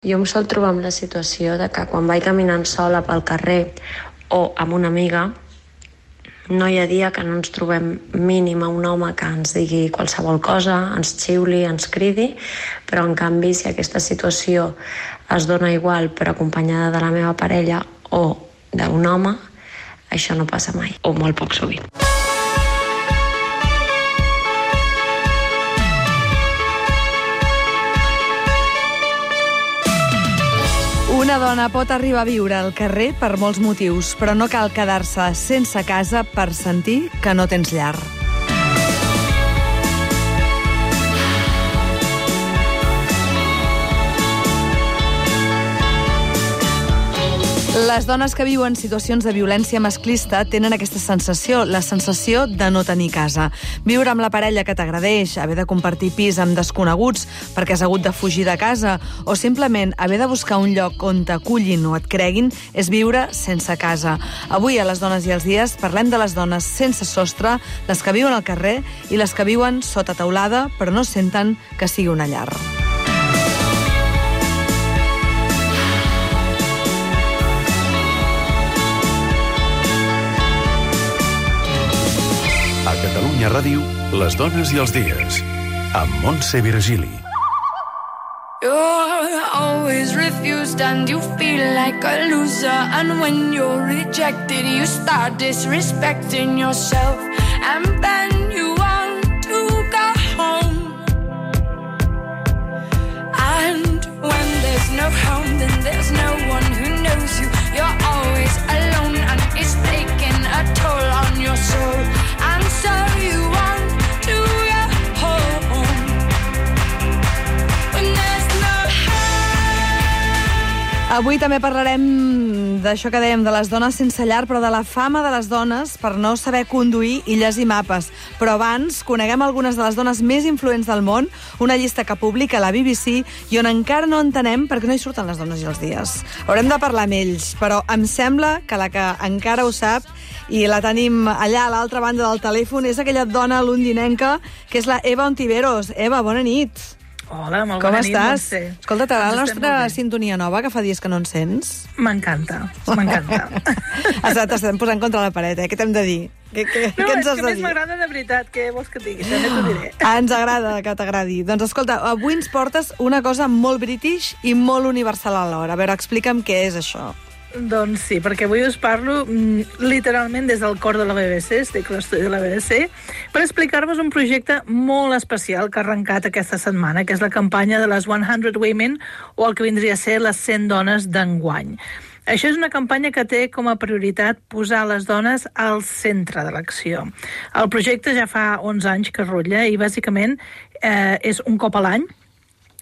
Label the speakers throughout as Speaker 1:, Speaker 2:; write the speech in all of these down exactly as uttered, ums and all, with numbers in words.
Speaker 1: Jo em sol trobar amb la situació de que quan vaig caminant sola pel carrer o amb una amiga, no hi ha dia que no ens trobem mínim a un home que ens digui qualsevol cosa, ens xiuli, ens cridi, però en canvi si aquesta situació es dona igual però acompanyada de la meva parella o d'un home, això no passa mai, o molt poc sovint.
Speaker 2: Una dona pot arribar a viure al carrer per molts motius, però no cal quedar-se sense casa per sentir que no tens llar. Les dones que viuen situacions de violència masclista tenen aquesta sensació, la sensació de no tenir casa. Viure amb la parella que t'agradeix, haver de compartir pis amb desconeguts perquè has hagut de fugir de casa o simplement haver de buscar un lloc on t'acullin o et creguin és viure sense casa. Avui a Les Dones i els Dies parlem de les dones sense sostre, les que viuen al carrer i les que viuen sota teulada però no senten que sigui una llar.
Speaker 3: A Catalunya Ràdio, Les Dones i els Dies, amb Montse Virgili.
Speaker 4: You're always refused and you feel like a loser, and when you're rejected you start disrespecting yourself, and then you want to go home, and when there's no home then there's no one who knows you. You're always alone and it's taking a toll on your soul, and so you want to go home when there's no home.
Speaker 2: Avui també parlarem d'això que dèiem, de les dones sense llar, però de la fama de les dones per no saber conduir illes i mapes. Però abans, coneguem algunes de les dones més influents del món, una llista que publica la B B C i on encara no entenem per què no hi surten les dones i els dies. Haurem de parlar amb ells, però em sembla que la que encara ho sap i la tenim allà a l'altra banda del telèfon és aquella dona londinenca que és la Eva Ontiveros. Eva, bona nit.
Speaker 5: Hola, molt
Speaker 2: Com
Speaker 5: bona nit,
Speaker 2: estàs?
Speaker 5: Montse.
Speaker 2: Escolta, t'agrada la
Speaker 5: Ens estem
Speaker 2: nostra
Speaker 5: molt bé.
Speaker 2: sintonia nova, que fa dies que no en sents?
Speaker 5: M'encanta, m'encanta.
Speaker 2: T'estem posant contra la paret, eh? Què t'hem de dir? Què, què,
Speaker 5: No,
Speaker 2: què ens
Speaker 5: és
Speaker 2: has
Speaker 5: que
Speaker 2: de
Speaker 5: més
Speaker 2: dir?
Speaker 5: m'agrada de veritat, què vols que et digui? També t'ho diré.
Speaker 2: Ens agrada que t'agradi. Doncs escolta, avui ens portes una cosa molt british i molt universal alhora. A veure, explica'm què és això.
Speaker 5: Doncs sí, perquè avui us parlo mm, literalment des del cor de la B B C, estic a l'estudi de la B B C, per explicar-vos un projecte molt especial que ha arrencat aquesta setmana, que és la campanya de les cent Women, o el que vindria a ser les cent dones d'enguany. Això és una campanya que té com a prioritat posar les dones al centre de l'acció. El projecte ja fa onze anys que rutlla i bàsicament eh, és un cop a l'any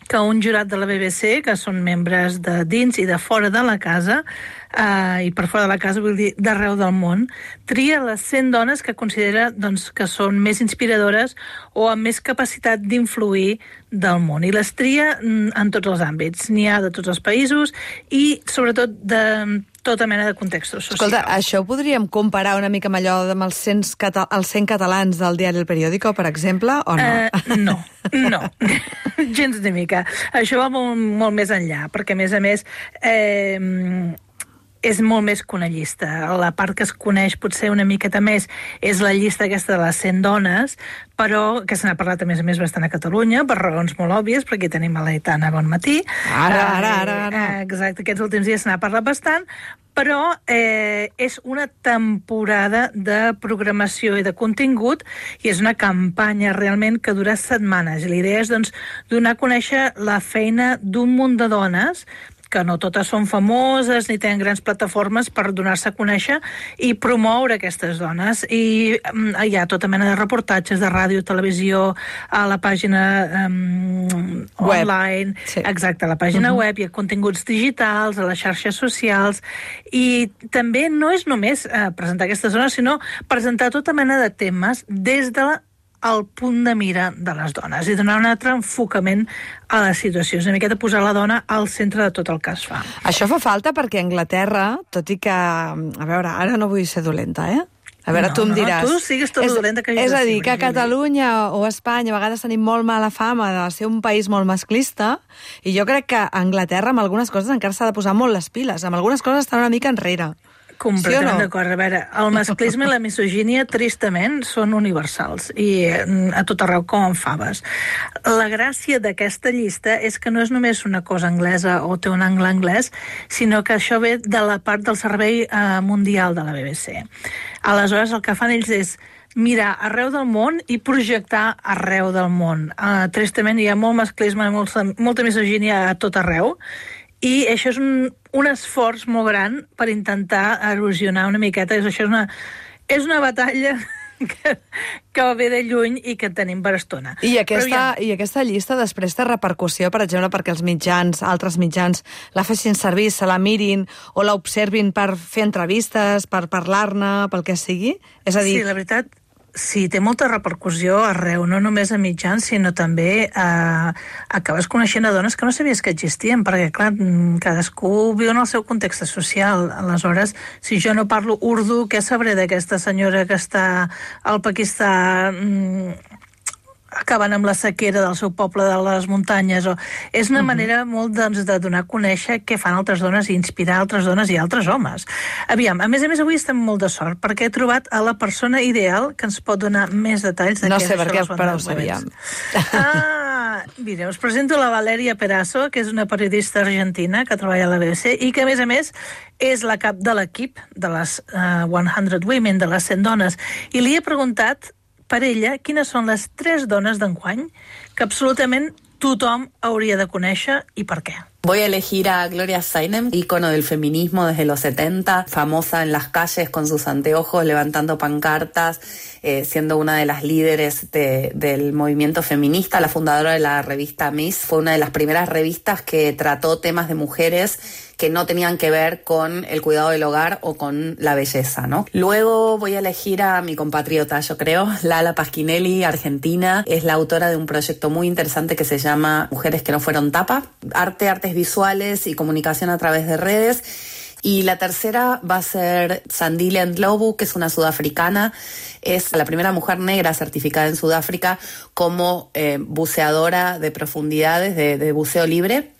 Speaker 5: que un jurat de la B B C, que són membres de dins i de fora de la casa, eh, i per fora de la casa vull dir d'arreu del món, tria les cent dones que considera doncs, que són més inspiradores o amb més capacitat d'influir del món. I les tria en tots els àmbits. N'hi ha de tots els països i sobretot de tota mena de contextos socials.
Speaker 2: Escolta, això ho podríem comparar una mica amb allò amb els cent, cata els cent catalans del diari El Periódico, per exemple, o no?
Speaker 5: Uh, no, no, gens ni mica. Això va molt, molt més enllà, perquè a més a més eh, és molt més que una llista. La part que es coneix potser una miqueta més és la llista aquesta de les cent dones, però que se n'ha parlat a més a més bastant a Catalunya, per raons molt òbvies, perquè tenim a l'Aitana Bon Matí.
Speaker 2: Ara, ara, ara, ara.
Speaker 5: Eh, exacte, aquests últims dies se n'ha parlat bastant, però eh, és una temporada de programació i de contingut i és una campanya realment que dura setmanes. I la idea és doncs, donar a conèixer la feina d'un munt de dones que no totes són famoses ni tenen grans plataformes per donar-se a conèixer i promoure aquestes dones. I um, hi ha tota mena de reportatges de ràdio, televisió, a la pàgina um, online,
Speaker 2: sí.
Speaker 5: Exacte, a la pàgina
Speaker 2: uh-huh.
Speaker 5: web, hi ha continguts digitals, a les xarxes socials, i també no és només uh, presentar aquestes dones, sinó presentar tota mena de temes des de la al punt de mira de les dones i donar un altre enfocament a la situació. És una miqueta posar la dona al centre de tot el que es fa.
Speaker 2: Això fa falta perquè a Anglaterra, tot i que... A veure, ara no vull ser dolenta, eh? A veure,
Speaker 5: no,
Speaker 2: tu em
Speaker 5: no,
Speaker 2: diràs...
Speaker 5: tu sigues tot
Speaker 2: és,
Speaker 5: dolenta que hagis
Speaker 2: És a
Speaker 5: de
Speaker 2: dir,
Speaker 5: ser,
Speaker 2: que a
Speaker 5: Virgili.
Speaker 2: Catalunya o a Espanya a vegades tenim molt mala fama de ser un país molt masclista, i jo crec que a Anglaterra amb algunes coses encara s'ha de posar molt les piles. Amb algunes coses estan una mica enrere.
Speaker 5: Completament
Speaker 2: Sí o no?
Speaker 5: d'acord. A veure, el masclisme i la misogínia, tristament, són universals i a tot arreu com en faves. La gràcia d'aquesta llista és que no és només una cosa anglesa o té un angle anglès, sinó que això ve de la part del Servei eh, Mundial de la B B C. Aleshores, el que fan ells és mirar arreu del món i projectar arreu del món. Uh, tristament, hi ha molt masclisme i molta, molta misogínia a tot arreu, i això és un, un esforç molt gran per intentar erosionar una miqueta. Això és una, és una batalla que, que ve de lluny i que tenim per estona.
Speaker 2: I aquesta, I aquesta llista després té repercussió, per exemple, perquè els mitjans, altres mitjans, la fessin servir, se la mirin o la observin per fer entrevistes, per parlar-ne, pel que sigui? És a dir...
Speaker 5: Sí, la veritat, sí, té molta repercussió arreu, no només a mitjans, sinó també eh, acabes coneixent a dones que no sabies que existien, perquè, clar, cadascú viu en el seu context social. Aleshores, si jo no parlo urdu, què sabré d'aquesta senyora que està al Pakistan acabant amb la sequera del seu poble de les muntanyes? O... És una uh-huh. manera molt doncs, de donar a conèixer què fan altres dones i inspirar altres dones i altres homes. Aviam, a més a més avui estem molt de sort perquè he trobat a la persona ideal que ens pot donar més detalls de
Speaker 2: no
Speaker 5: què
Speaker 2: sé
Speaker 5: és
Speaker 2: per
Speaker 5: això
Speaker 2: què,
Speaker 5: dels
Speaker 2: però ho
Speaker 5: Wonders
Speaker 2: sabíem.
Speaker 5: Ah, mira, us presento la Valeria Perazo, que és una periodista argentina que treballa a la B B C i que, a més a més, és la cap de l'equip de les uh, cent Women, de les cent dones. I li he preguntat per ella quines són les tres dones d'enguany que absolutament tothom hauria de conèixer i per què.
Speaker 6: Voy a elegir a Gloria Steinem, ícono del feminismo desde los setenta, famosa en las calles con sus anteojos, levantando pancartas, eh, siendo una de las líderes de, del movimiento feminista, la fundadora de la revista Miss. Fue una de las primeras revistas que trató temas de mujeres que no tenían que ver con el cuidado del hogar o con la belleza, ¿no? Luego voy a elegir a mi compatriota, yo creo, Lala Pasquinelli, argentina. Es la autora de un proyecto muy interesante que se llama Mujeres que no fueron tapa. Arte, artes visuales y comunicación a través de redes. Y la tercera va a ser Sandile Ndlovu, que es una sudafricana. Es la primera mujer negra certificada en Sudáfrica como eh, buceadora de profundidades, de, de buceo libre.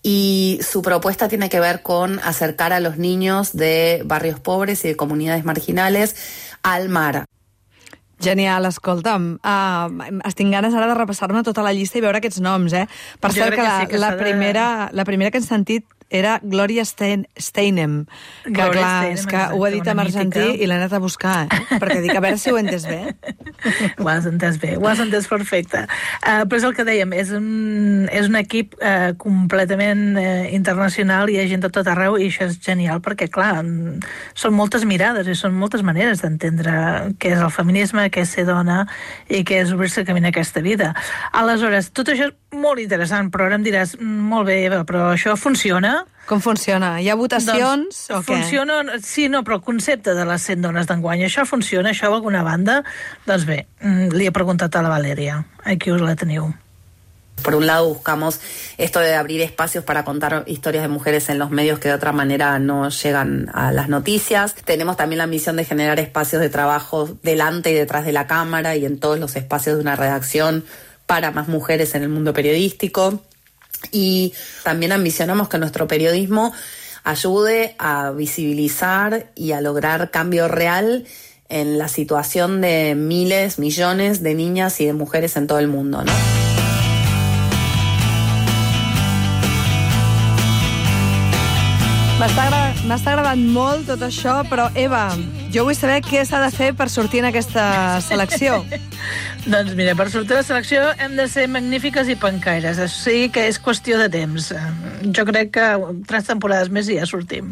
Speaker 6: Y su propuesta tiene que ver con acercar a los niños de barrios pobres y de comunidades marginales al mar.
Speaker 2: Genial, escolta'm, uh, estic ganes ara de repassar-me tota la llista i veure aquests noms, eh? Per
Speaker 5: Jo
Speaker 2: cert, que,
Speaker 5: que
Speaker 2: la,
Speaker 5: sí, que
Speaker 2: la,
Speaker 5: de...
Speaker 2: primera, la primera que hem sentit era Gloria Stein, Steinem, que
Speaker 5: Gloria
Speaker 2: clar,
Speaker 5: Steinem,
Speaker 2: és que ho ha dit
Speaker 5: exacte,
Speaker 2: en
Speaker 5: una
Speaker 2: argentí
Speaker 5: mítica.
Speaker 2: i l'he anat a buscar, eh? Perquè dic, a veure si ho he entès bé.
Speaker 5: Ho has entès bé, ho has entès perfecte. Uh, però és el que dèiem, és un, és un equip uh, completament uh, internacional, hi ha gent de tot arreu i això és genial perquè, clar, són moltes mirades i són moltes maneres d'entendre què és el feminisme, què és ser dona i què és obrir-se camí en aquesta vida. Aleshores, tot això és molt interessant, però ara em diràs, molt bé, Eva, però això funciona?
Speaker 2: Com funciona? Hi ha votacions
Speaker 5: doncs,
Speaker 2: o què?
Speaker 5: Funciona, sí, no, però el concepte de les cent dones d'enguany, això funciona, això d'alguna banda? Doncs bé, li he preguntat a la Valeria, aquí us la teniu.
Speaker 6: Por un lado buscamos esto de abrir espacios para contar historias de mujeres en los medios que de otra manera no llegan a las noticias. Tenemos también la misión de generar espacios de trabajo delante y detrás de la cámara y en todos los espacios de una redacción para más mujeres en el mundo periodístico. Y también ambicionamos que nuestro periodismo ayude a visibilizar y a lograr cambio real en la situación de miles, millones de niñas y de mujeres en todo el mundo, ¿no?
Speaker 2: M'està agra- m'està agradant molt tot això, però Eva, jo vull saber què s'ha de fer per sortir en aquesta selecció.
Speaker 5: Doncs mira, per sortir a la selecció hem de ser magnífiques i pencaires. O sigui que és qüestió de temps. Jo crec que tres temporades més i ja sortim.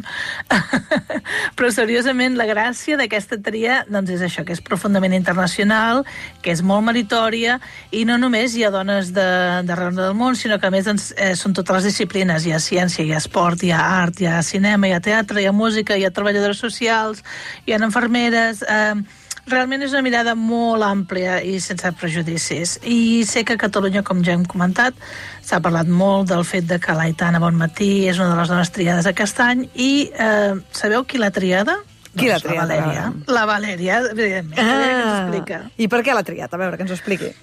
Speaker 5: Però seriosament, la gràcia d'aquesta tria doncs és això, que és profundament internacional, que és molt meritòria, i no només hi ha dones d'arreu del món, sinó que a més doncs, eh, són totes les disciplines. Hi ha ciència, hi ha esport, hi ha art, hi ha cinema, hi ha teatre, hi ha música, hi ha treballadores socials, hi ha infermeres... Eh, Realment és una mirada molt àmplia i sense prejudicis. I sé que a Catalunya, com ja hem comentat, s'ha parlat molt del fet de que l'Aitana Bonmatí és una de les dones triades aquest any i eh, sabeu qui l'ha triada?
Speaker 2: Qui l'ha
Speaker 5: Doncs
Speaker 2: triat?
Speaker 5: La Valèria. La Valèria, evidentment. Ah. Que ens explica.
Speaker 2: I per què l'ha triat? A veure, que ens ho expliqui.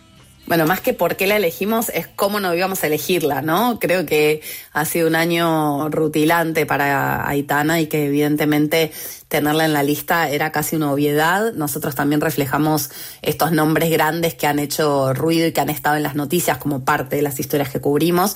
Speaker 6: Bueno, más que por qué la elegimos, es cómo no íbamos a elegirla, ¿no? Creo que ha sido un año rutilante para Aitana y que evidentemente tenerla en la lista era casi una obviedad. Nosotros también reflejamos estos nombres grandes que han hecho ruido y que han estado en las noticias como parte de las historias que cubrimos.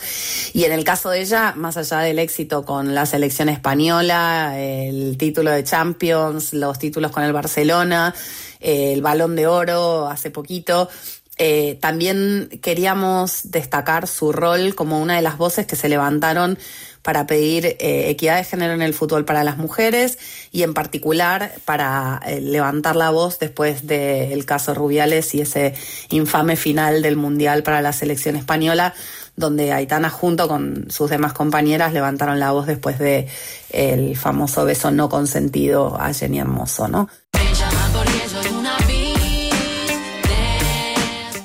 Speaker 6: Y en el caso de ella, más allá del éxito con la selección española, el título de Champions, los títulos con el Barcelona, el Balón de Oro hace poquito, Eh, también queríamos destacar su rol como una de las voces que se levantaron para pedir eh, equidad de género en el fútbol para las mujeres y en particular para eh, levantar la voz después del caso Rubiales y ese infame final del Mundial para la selección española, donde Aitana junto con sus demás compañeras levantaron la voz después de el famoso beso no consentido a Jenny Hermoso, ¿no?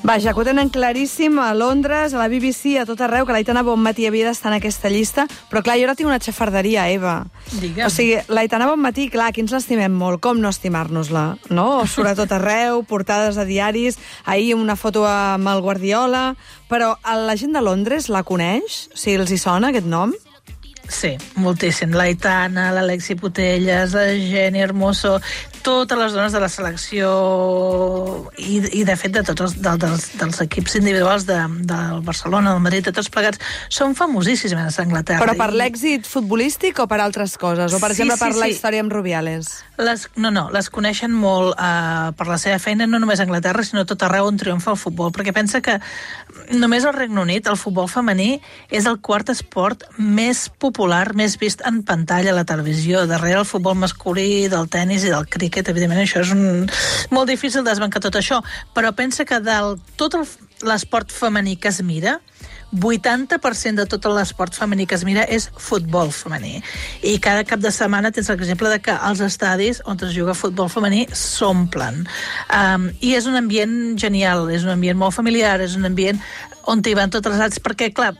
Speaker 2: Vaja, que ho tenen claríssim a Londres, a la B B C, a tot arreu, que l'Aitana Bonmatí havia d'estar en aquesta llista, però clar, jo ara tinc una xafarderia, Eva.
Speaker 5: Digue'm.
Speaker 2: O sigui, l'Aitana Bonmatí, clar, aquí ens l'estimem molt, com no estimar-nos-la, no? Surt a tot arreu, portades a diaris, ahir una foto amb el Guardiola, però la gent de Londres la coneix? O sigui, els hi sona aquest nom?
Speaker 5: Sí, moltíssim. L'Aitana, l'Alexi Putelles, la Jenny Hermoso, totes les dones de la selecció i, i de fet, de tots els, de, dels, dels equips individuals de, del Barcelona, del Madrid, de tots plegats, són famosíssimes a Anglaterra.
Speaker 2: Però per l'èxit futbolístic o per altres coses? O, per
Speaker 5: Sí,
Speaker 2: exemple, per
Speaker 5: sí,
Speaker 2: la
Speaker 5: sí.
Speaker 2: història amb Rubiales?
Speaker 5: Les, no, no, les coneixen molt uh, per la seva feina, no només a Anglaterra, sinó tot arreu on triomfa el futbol, perquè pensa que només al Regne Unit el futbol femení és el quart esport més popular, més vist en pantalla a la televisió, darrere el futbol masculí, del tennis i del críquet. Evidentment, això és un... molt difícil desbancar tot això, però pensa que del tot el- l'esport femení que es mira, vuitanta per cent de tot l'esport femení que es mira és futbol femení. I cada cap de setmana tens l'exemple de que els estadis on es juga futbol femení s'omplen. Um, I és un ambient genial, és un ambient molt familiar, és un ambient on hi van totes les edats, perquè, clar,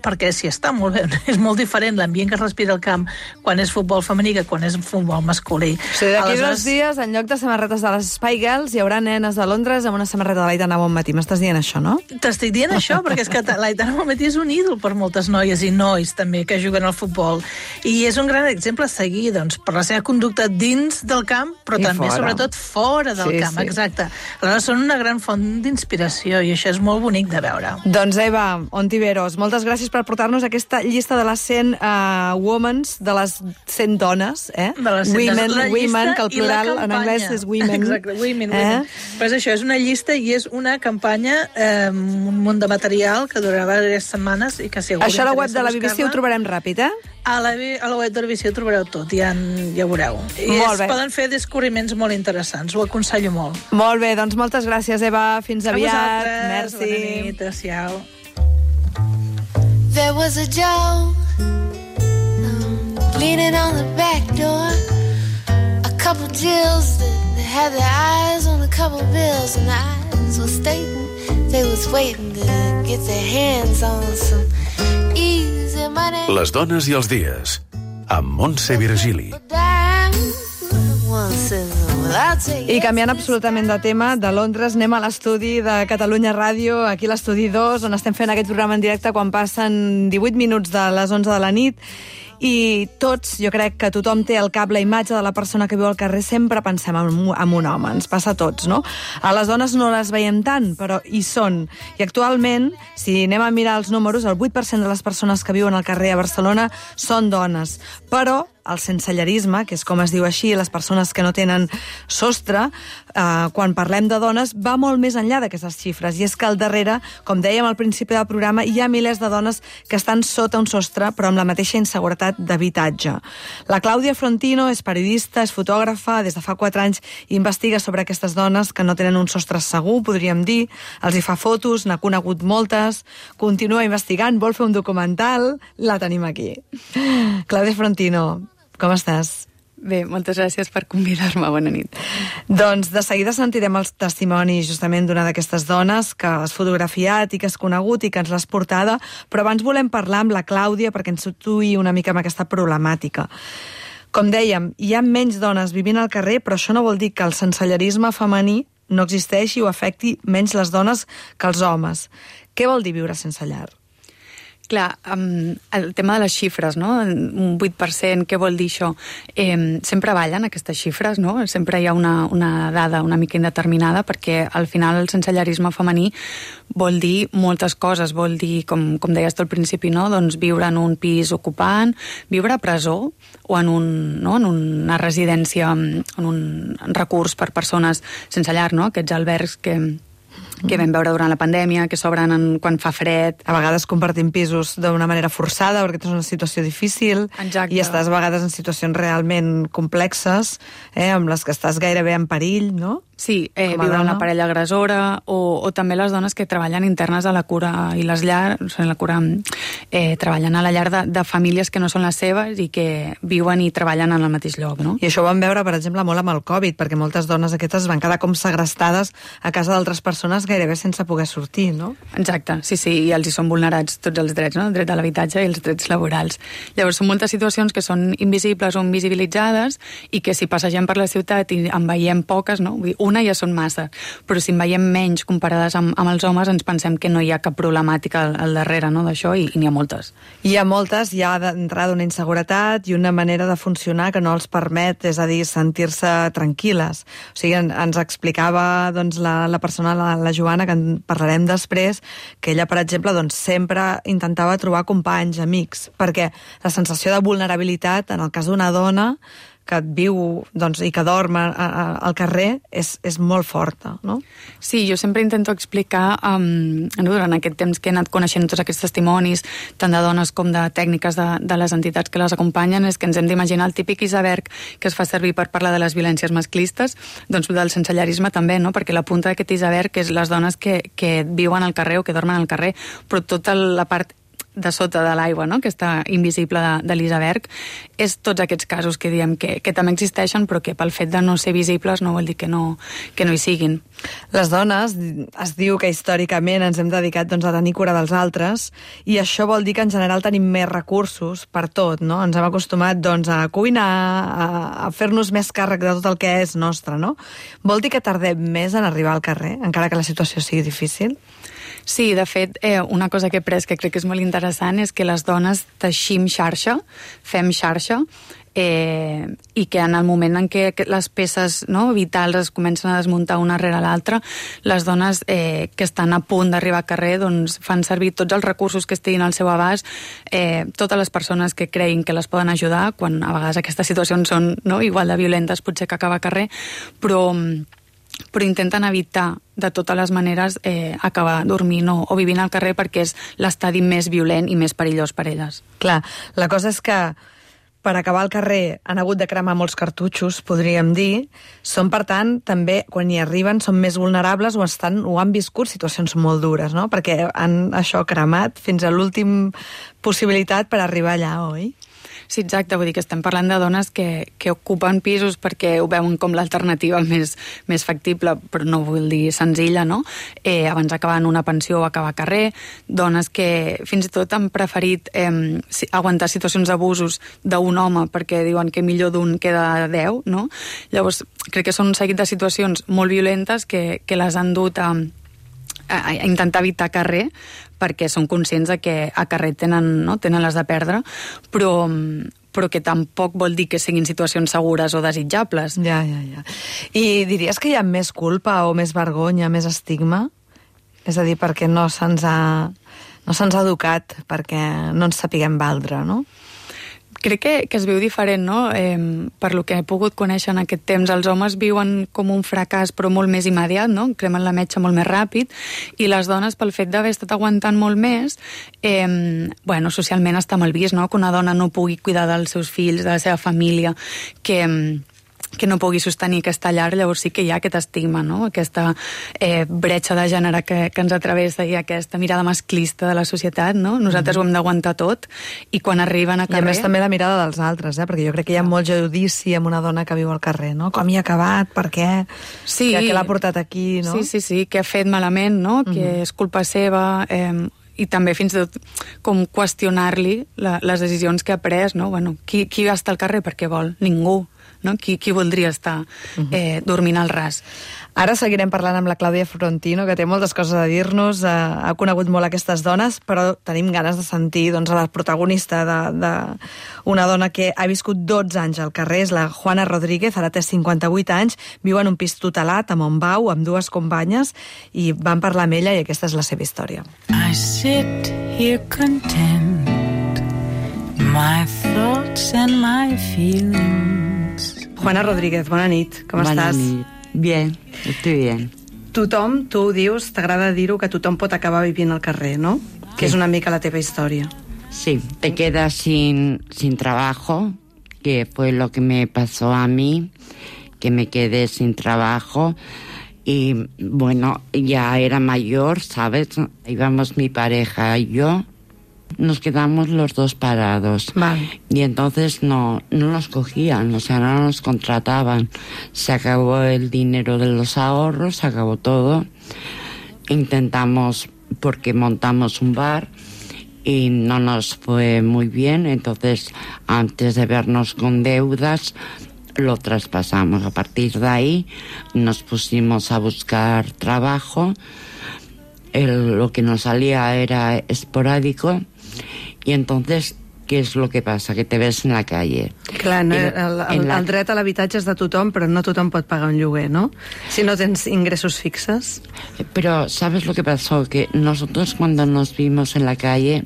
Speaker 5: perquè si està molt bé, és molt diferent l'ambient que es respira al camp quan és futbol femení que quan és futbol masculí.
Speaker 2: O sigui, d'aquí
Speaker 5: Aleshores,
Speaker 2: dos dies, en lloc de samarretes de les Spy Girls, hi haurà nenes de Londres amb una samarreta de l'Aitana Bonmatí. M'estàs dient això, no?
Speaker 5: T'estic dient això, perquè és que l'Aitana Bonmatí és un ídol per moltes noies i nois també que juguen al futbol. I és un gran exemple a seguir, doncs, per la seva conducta dins del camp, però
Speaker 2: I
Speaker 5: també,
Speaker 2: fora.
Speaker 5: sobretot, fora del
Speaker 2: Sí,
Speaker 5: camp.
Speaker 2: sí.
Speaker 5: Exacte. Aleshores, són una gran font d'inspiració i això és molt bonic de veure.
Speaker 2: Doncs Eva Ontiveros, moltes gràcies per portar-nos aquesta llista de les cent uh, womens, de les cent dones, eh?
Speaker 5: De les cent
Speaker 2: women,
Speaker 5: dones. La llista
Speaker 2: women, que el
Speaker 5: i la
Speaker 2: plural en
Speaker 5: campanya.
Speaker 2: anglès és women.
Speaker 5: Exacte, women,
Speaker 2: eh?
Speaker 5: women. Però és això, és una llista i és una campanya, eh, un munt de material que durarà diverses setmanes i que si algú
Speaker 2: Això a la web
Speaker 5: interessa
Speaker 2: de la B B C ho
Speaker 5: buscar-la,
Speaker 2: trobarem ràpid, eh?
Speaker 5: A la, a la web de la B B C ho trobareu tot, ja, en, ja ho veureu. I
Speaker 2: Molt
Speaker 5: es
Speaker 2: bé.
Speaker 5: poden fer descobriments molt interessants, ho aconsello molt.
Speaker 2: Molt bé, doncs moltes gràcies, Eva. Fins
Speaker 5: A
Speaker 2: aviat.
Speaker 5: vosaltres,
Speaker 2: Merci.
Speaker 5: bona nit, adéu-siau.
Speaker 4: There was a Joe um, leaning on the back door. A couple Jills that, that had their eyes on a couple bills, and the eyes were stating they was waiting to get their hands on some easy money.
Speaker 3: Les dones i els dies, amb Montse Virgili.
Speaker 2: I canviant absolutament de tema, de Londres anem a l'estudi de Catalunya Ràdio, aquí a l'estudi dos, on estem fent aquest programa en directe quan passen divuit minuts de les onze de la nit. I tots, jo crec que tothom té al cap la imatge de la persona que viu al carrer, sempre pensem en, un- en un home, ens passa a tots, no? A les dones no les veiem tant, però hi són. I actualment, si anem a mirar els números, el vuit per cent de les persones que viuen al carrer a Barcelona són dones. Però el sensellerisme, que és com es diu així, les persones que no tenen sostre, eh, quan parlem de dones, va molt més enllà d'aquestes xifres. I és que al darrere, com dèiem al principi del programa, hi ha milers de dones que estan sota un sostre, però amb la mateixa inseguretat d'habitatge. La Clàudia Frontino és periodista, és fotògrafa, des de fa quatre anys investiga sobre aquestes dones que no tenen un sostre segur, podríem dir, els hi fa fotos, n'ha conegut moltes, continua investigant, vol fer un documental, la tenim aquí. Clàudia Frontino, com estàs?
Speaker 7: Bé, moltes gràcies per convidar-me. Bona nit.
Speaker 2: Doncs de seguida sentirem els testimonis justament d'una d'aquestes dones que has fotografiat i que has conegut i que ens l'has portada, però abans volem parlar amb la Clàudia perquè ens situï una mica amb aquesta problemàtica. Com dèiem, hi ha menys dones vivint al carrer, però això no vol dir que el sensellarisme femení no existeixi o afecti menys les dones que els homes. Què vol dir viure sense llar?
Speaker 7: Clar, um, el tema de les xifres, no? Un vuit per cent, què vol dir això? Eh, sempre ballen aquestes xifres, no? Sempre hi ha una, una dada una mica indeterminada, perquè al final el sensellarisme femení vol dir moltes coses, vol dir, com, com deies tu al principi, no? Doncs viure en un pis ocupant, viure a presó o en, un, no? en una residència, en un recurs per persones sense llar, no? Aquests albergs que... que vam veure durant la pandèmia, que s'obren en, quan fa fred.
Speaker 2: A vegades compartim pisos d'una manera forçada perquè és una situació difícil.
Speaker 7: Exacte.
Speaker 2: I estàs a vegades en situacions realment complexes, eh, amb les que estàs gairebé en perill, no?
Speaker 7: Sí, eh, viure amb la parella agressora o, o també les dones que treballen internes a la cura i les llars, o sigui, la cura, eh, treballen a la llar de, de famílies que no són les seves i que viuen i treballen en el mateix lloc, no?
Speaker 2: I això ho vam veure, per exemple, molt amb el Covid, perquè moltes dones aquestes van quedar com segrestades a casa d'altres persones gairebé sense poder sortir, no?
Speaker 7: Exacte, sí, sí, i els hi són vulnerats tots els drets, no? El dret a l'habitatge i els drets laborals. Llavors, són moltes situacions que són invisibles o invisibilitzades i que si passegem per la ciutat i en veiem poques, no? Vull dir, una ja són massa, però si en veiem menys comparades amb, amb els homes ens pensem que no hi ha cap problemàtica al, al darrere, no, d'això, i, i n'hi ha moltes.
Speaker 2: Hi ha moltes, hi ha d'entrada una inseguretat i una manera de funcionar que no els permet, és a dir, sentir-se tranquil·les. O sigui, en, ens explicava doncs, la, la persona, la, la Joana, que en parlarem després, que ella, per exemple, doncs, sempre intentava trobar companys, amics, perquè la sensació de vulnerabilitat, en el cas d'una dona, que et viu doncs, i que dorm a, a, al carrer és, és molt forta, no?
Speaker 7: Sí, jo sempre intento explicar um, durant aquest temps que he anat coneixent tots aquests testimonis, tant de dones com de tècniques de, de les entitats que les acompanyen, és que ens hem d'imaginar el típic iceberg que es fa servir per parlar de les violències masclistes, doncs del sensellarisme també, no? Perquè la punta d'aquest iceberg és les dones que, que viuen al carrer o que dormen al carrer, però tota la part de sota de l'aigua, no? Que està invisible de, de l'iceberg, és tots aquests casos que diem que, que també existeixen, però que pel fet de no ser visibles no vol dir que no, que no hi siguin.
Speaker 2: Les dones, es diu que històricament ens hem dedicat doncs, a tenir cura dels altres, i això vol dir que en general tenim més recursos per tot, no? Ens hem acostumat doncs, a cuinar, a, a fer-nos més càrrec de tot el que és nostre, no? Vol dir que tardem més en arribar al carrer, encara que la situació sigui difícil?
Speaker 7: Sí, de fet, eh, una cosa que he pres que crec que és molt interessant és que les dones teixim xarxa, fem xarxa, eh, i que en el moment en què les peces, no, vitals es comencen a desmuntar una rere l'altra, les dones eh, que estan a punt d'arribar al carrer doncs, fan servir tots els recursos que estiguin al seu abast, eh, totes les persones que creguin que les poden ajudar, quan a vegades aquestes situacions són, no, igual de violentes potser que acabar al carrer, però... però intenten evitar de totes les maneres eh, acabar dormint o, o vivint al carrer perquè és l'estadi més violent i més perillós per elles.
Speaker 2: Clar, la cosa és que per acabar al carrer han hagut de cremar molts cartutxos, podríem dir. Són, per tant, també, quan hi arriben, són més vulnerables o, estan, o han viscut situacions molt dures, no? Perquè han això cremat fins a l'últim possibilitat per arribar allà, oi?
Speaker 7: Sí, exacte, vull dir que estem parlant de dones que, que ocupen pisos perquè ho veuen com l'alternativa més, més factible, però no vull dir senzilla, no? Eh, abans d'acabar en una pensió o acabar a carrer, dones que fins i tot han preferit eh, aguantar situacions d'abusos d'un home perquè diuen que millor d'un queda deu, no? Llavors, crec que són un seguit de situacions molt violentes que, que les han dut a, a, a intentar evitar carrer, perquè són conscients de que a carrer tenen, no? tenen les de perdre, però, però que tampoc vol dir que siguin situacions segures o desitjables.
Speaker 2: Ja, ja, ja. I diries que hi ha més culpa o més vergonya, més estigma? És a dir, perquè no se'ns ha, no se'ns ha educat, perquè no ens sapiguem valdre, no?
Speaker 7: Crec que, que es viu diferent, no? Eh, per lo que he pogut conèixer en aquest temps, els homes viuen com un fracàs però molt més immediat, no? Cremen la metxa molt més ràpid, i les dones, pel fet d'haver estat aguantant molt més, eh, bueno, socialment està mal vist, no? Que una dona no pugui cuidar dels seus fills, de la seva família, que... que no pugui sostenir aquesta llar, llavors sí que hi ha aquest estigma, no? Aquesta eh, bretxa de gènere que, que ens atravessa i aquesta mirada masclista de la societat, no? Nosaltres mm. ho hem d'aguantar tot, i quan arriben a carrer...
Speaker 2: I a més també la mirada dels altres, eh? Perquè jo crec que hi ha molt judici amb una dona que viu al carrer, no? Com hi ha acabat, per què,
Speaker 7: sí.
Speaker 2: que, que l'ha portat aquí, no?
Speaker 7: Sí, sí, sí, que ha fet malament, no? Mm. Que és culpa seva... Eh, i també fins i tot com qüestionar-li la, les decisions que ha pres, no? Bueno, qui, qui va estar al carrer perquè vol? Ningú. No? Qui, qui voldria estar eh, dormint al ras?
Speaker 2: Ara seguirem parlant amb la Clàudia Frontino, que té moltes coses a dir-nos, eh, ha conegut molt aquestes dones, però tenim ganes de sentir doncs, a la protagonista d'una dona que ha viscut dotze anys al carrer, és la Juana Rodríguez, ara té cinquanta-vuit anys, viu en un pis tutelat a Montbau amb dues companyes, i vam parlar amb ella i aquesta és la seva història.
Speaker 8: I sit here content, my thoughts and my feelings.
Speaker 2: Juana Rodríguez, bona nit, com
Speaker 9: Bona
Speaker 2: estàs?
Speaker 9: nit. Bien, estoy bien.
Speaker 2: Tothom, tu ho dius, t'agrada dir-ho, que tothom pot acabar vivint al carrer, no? Que és una mica la teva història.
Speaker 9: Sí, te quedas sin, sin trabajo, que fue lo que me pasó a mí, que me quedé sin trabajo. Y bueno, ya era mayor, ¿sabes? Íbamos mi pareja y yo, nos quedamos los dos parados.
Speaker 2: Vale.
Speaker 9: Y entonces no, no nos cogían, o sea, no nos contrataban. Se acabó el dinero de los ahorros, se acabó todo. Intentamos, porque montamos un bar y no nos fue muy bien, entonces antes de vernos con deudas lo traspasamos. A partir de ahí nos pusimos a buscar trabajo. El, lo que nos salía era esporádico. Y entonces, ¿qué es lo que pasa? Que te ves en la calle.
Speaker 2: Clar, no,
Speaker 9: En-
Speaker 2: el, el,
Speaker 9: en la-
Speaker 2: el dret a l'habitatge és de tothom, però no tothom pot pagar un lloguer, no? Si no tens ingressos fixes.
Speaker 9: Pero, ¿sabes lo que pasó? Que nosotros cuando nos vimos en la calle,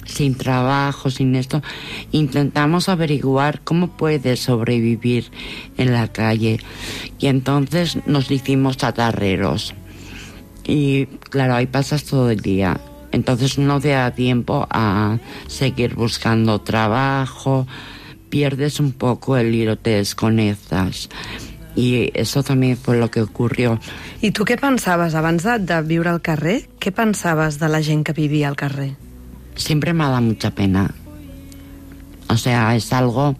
Speaker 9: sin trabajo, sin esto, intentamos averiguar cómo puedes sobrevivir en la calle. Y entonces nos hicimos chatarreros. Y claro, ahí pasas todo el día. Entonces no te da tiempo a seguir buscando trabajo, pierdes un poco el hilo, te desconectas. Y eso también fue lo que ocurrió.
Speaker 2: I tu què pensaves abans de, de viure al carrer? Què pensaves de la gent que vivia al carrer?
Speaker 9: Siempre me ha dado mucha pena. O sea, es algo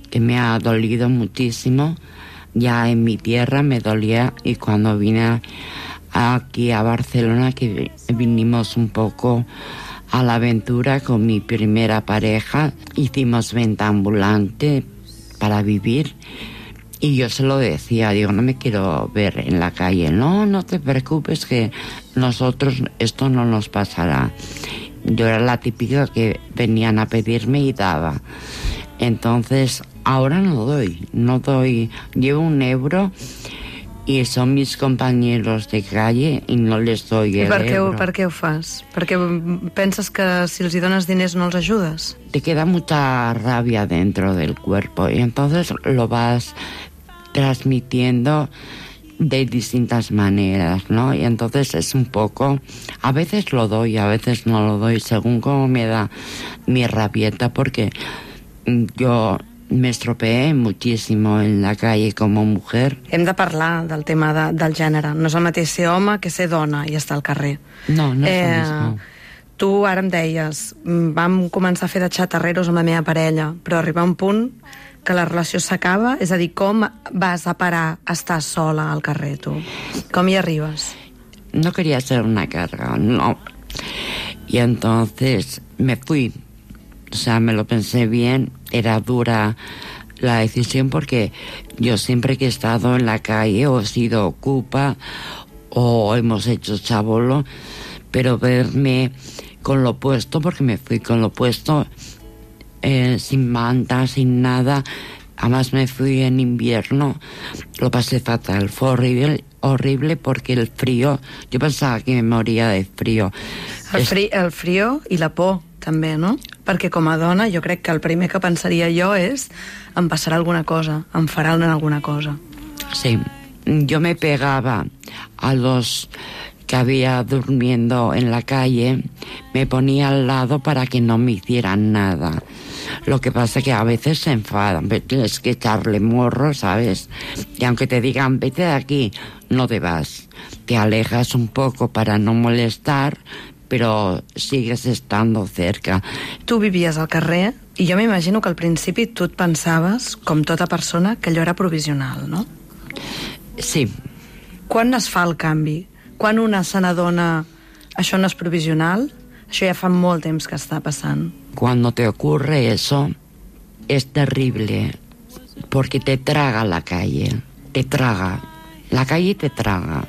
Speaker 9: que me ha dolido muchísimo. Ya en mi tierra me dolía, y cuando vine aquí a Barcelona, que vinimos un poco a la aventura con mi primera pareja, hicimos venta ambulante para vivir. Y yo se lo decía, digo, no me quiero ver en la calle. No, no te preocupes, que nosotros esto no nos pasará. Yo era la típica que venían a pedirme y daba. Entonces, ahora no doy, no doy. Llevo un euro y son mis compañeros de calle y no les doy
Speaker 2: I
Speaker 9: el
Speaker 2: per què, ho,
Speaker 9: euro.
Speaker 2: per què ho fas? Perquè penses que si els hi dones diners no els ajudes?
Speaker 9: Te queda mucha rabia dentro del cuerpo y entonces lo vas transmitiendo de distintas maneras, ¿no? Y entonces es un poco, a veces lo doy, a veces no lo doy, según cómo me da mi rabieta, porque yo me estropeé muchísimo en la calle como mujer.
Speaker 2: Hem de parlar del tema de, del gènere. No és el mateix ser home que ser dona i estar al carrer.
Speaker 9: No, no és el mismo.
Speaker 2: Tu ara em deies, mm, vam començar a fer de xatarreros amb la meva parella, però arriba un punt que la relació s'acaba, és a dir, com vas a parar a estar sola al carrer, tu? Com hi arribes?
Speaker 9: No quería ser una carga, no. Y entonces me fui. O sea, me lo pensé bien, era dura la decisión porque yo siempre que he estado en la calle o he sido ocupa o hemos hecho chabolo, pero verme con lo puesto, porque me fui con lo puesto, eh, sin manta, sin nada. Además me fui en invierno, lo pasé fatal, fue horrible, horrible porque el frío, yo pensaba que me moría de frío.
Speaker 2: El,
Speaker 9: Es-
Speaker 2: fri, el frío i la por, també, no? Perquè com a dona jo crec que el primer que pensaria jo és em passarà alguna cosa, em faran alguna cosa.
Speaker 9: Sí, yo me pegaba a los que había durmiendo en la calle, me ponía al lado para que no me hicieran nada. Lo que pasa es que a veces se enfadan, pero tienes que echarle morro, ¿sabes? Y aunque te digan, vete de aquí, no te vas. Te alejas un poco para no molestar, però sigues estando cerca.
Speaker 2: Tu vivies al carrer i jo m'imagino que al principi tu et pensaves, com tota persona, que allò era provisional, no?
Speaker 9: Sí.
Speaker 2: Quan es fa el canvi? Quan una se n'adona això no és provisional Això ja fa molt temps que està passant.
Speaker 9: Cuando te ocurre eso, es terrible, porque te traga la calle, te traga. La calle te traga,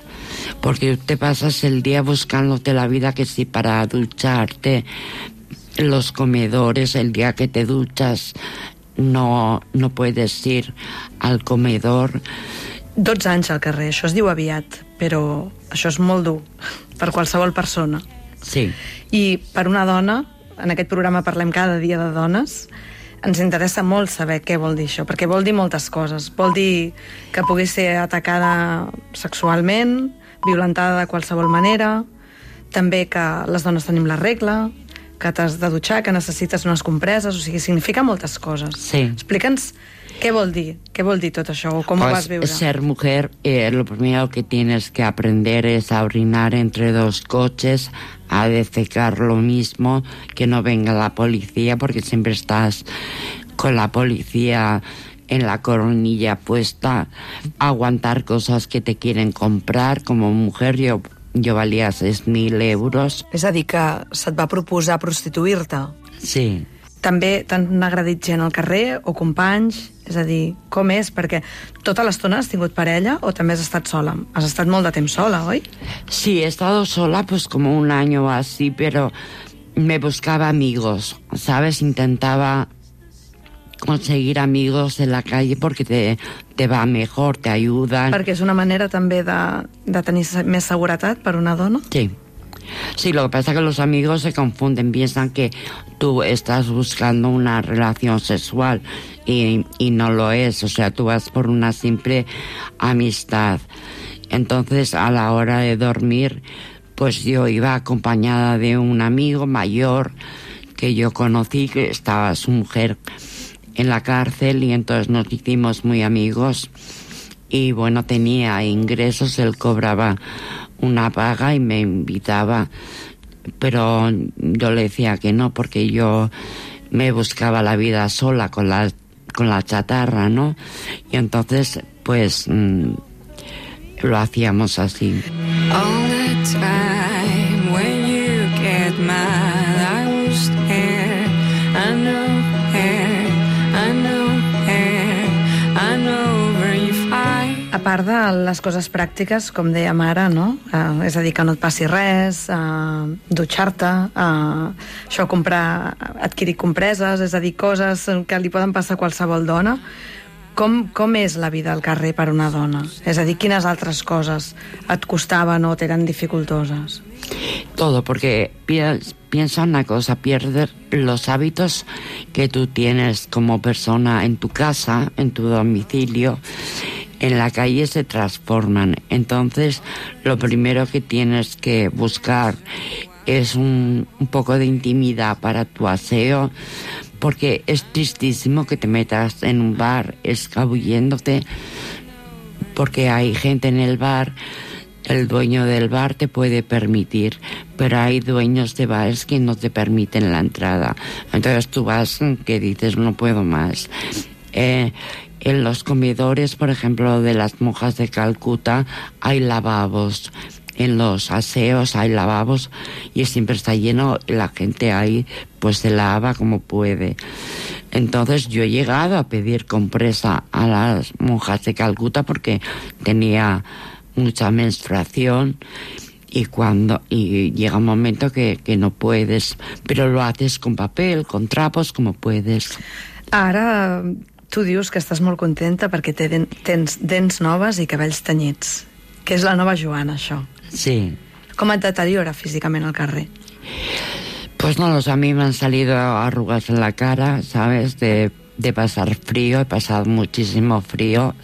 Speaker 9: porque te pasas el día buscándote la vida, que si para ducharte, los comedores, el día que te duchas, no, no puedes ir al comedor.
Speaker 2: dotze anys al carrer, això es diu aviat, però això és molt dur per qualsevol persona.
Speaker 9: Sí.
Speaker 2: I per una dona, en aquest programa parlem cada dia de dones, ens interessa molt saber què vol dir això, perquè vol dir moltes coses. Vol dir que pugui ser atacada sexualment, violentada de qualsevol manera, també que les dones tenim la regla, que t'has de dutxar, que necessites unes compreses, o sigui, significa moltes coses.
Speaker 9: Sí.
Speaker 2: Explica'ns què vol dir, què vol dir tot això, o com
Speaker 9: pues,
Speaker 2: ho vas viure.
Speaker 9: Ser mujer, eh, lo primero que tienes que aprender es a orinar entre dos coches, a defecar lo mismo, que no venga la policía, porque siempre estás con la policía en la coronilla puesta, aguantar cosas que te quieren comprar. Como mujer yo, yo valía seis mil euros.
Speaker 2: És a dir, que se't va proposar prostituir-te.
Speaker 9: Sí.
Speaker 2: També t'han agredit gent al carrer o companys? És a dir, com és? Perquè tota l'estona has tingut parella o també has estat sola? Has estat molt de temps sola, oi?
Speaker 9: Sí, he estado sola pues como un año así, pero me buscaba amigos, ¿sabes? Intentaba conseguir amigos en la calle porque te, te va mejor, te ayudan.
Speaker 2: Perquè és una manera també de, de tenir més seguretat per una dona?
Speaker 9: Sí. Sí, lo que pasa es que los amigos se confunden, piensan que tú estás buscando una relación sexual y, y no lo es, o sea, tú vas por una simple amistad. Entonces, a la hora de dormir, pues yo iba acompañada de un amigo mayor que yo conocí, que estaba su mujer en la cárcel, y entonces nos hicimos muy amigos y bueno, tenía ingresos, él cobraba una paga y me invitaba, pero yo le decía que no, porque yo me buscaba la vida sola con la, con la chatarra, ¿no? Y entonces, pues, mmm, lo hacíamos así.
Speaker 8: All the time when you get mad, I was there. I know hair, I know hair, I know where you fight.
Speaker 2: A part de les coses pràctiques, com dèiem ara, no? Uh, és a dir, que no et passi res, uh, dutxar-te, uh, això, comprar, adquirir compreses, és a dir, coses que li poden passar a qualsevol dona. Com, com és la vida al carrer per una dona? És a dir, quines altres coses et costaven o t'eren dificultoses?
Speaker 9: Todo, porque piensa una cosa, pierdes los hábitos que tú tienes como persona en tu casa, en tu domicilio, en la calle se transforman. Entonces, lo primero que tienes que buscar es un, un poco de intimidad para tu aseo, porque es tristísimo que te metas en un bar escabulléndote, porque hay gente en el bar, el dueño del bar te puede permitir, pero hay dueños de bares que no te permiten la entrada. Entonces tú vas que dices, no puedo más. Eh, en los comedores, por ejemplo, de las monjas de Calcuta, hay lavabos. En los aseos hay lavabos y siempre está lleno, la gente ahí pues se lava como puede. Entonces yo he llegado a pedir compresa a las monjas de Calcuta porque tenía mucha menstruación y cuando y llega un momento que, que no puedes, pero lo haces con papel, con trapos, como puedes.
Speaker 2: Ara tu dius que estàs molt contenta perquè tens dents noves i cabells tenyits, que és la nova Joana, això.
Speaker 9: Sí.
Speaker 2: Com et deteriora físicament al carrer?
Speaker 9: Pues no, a mí me han salido arrugas en la cara, ¿sabes? De, de pasar frío, he pasado muchísimo frío.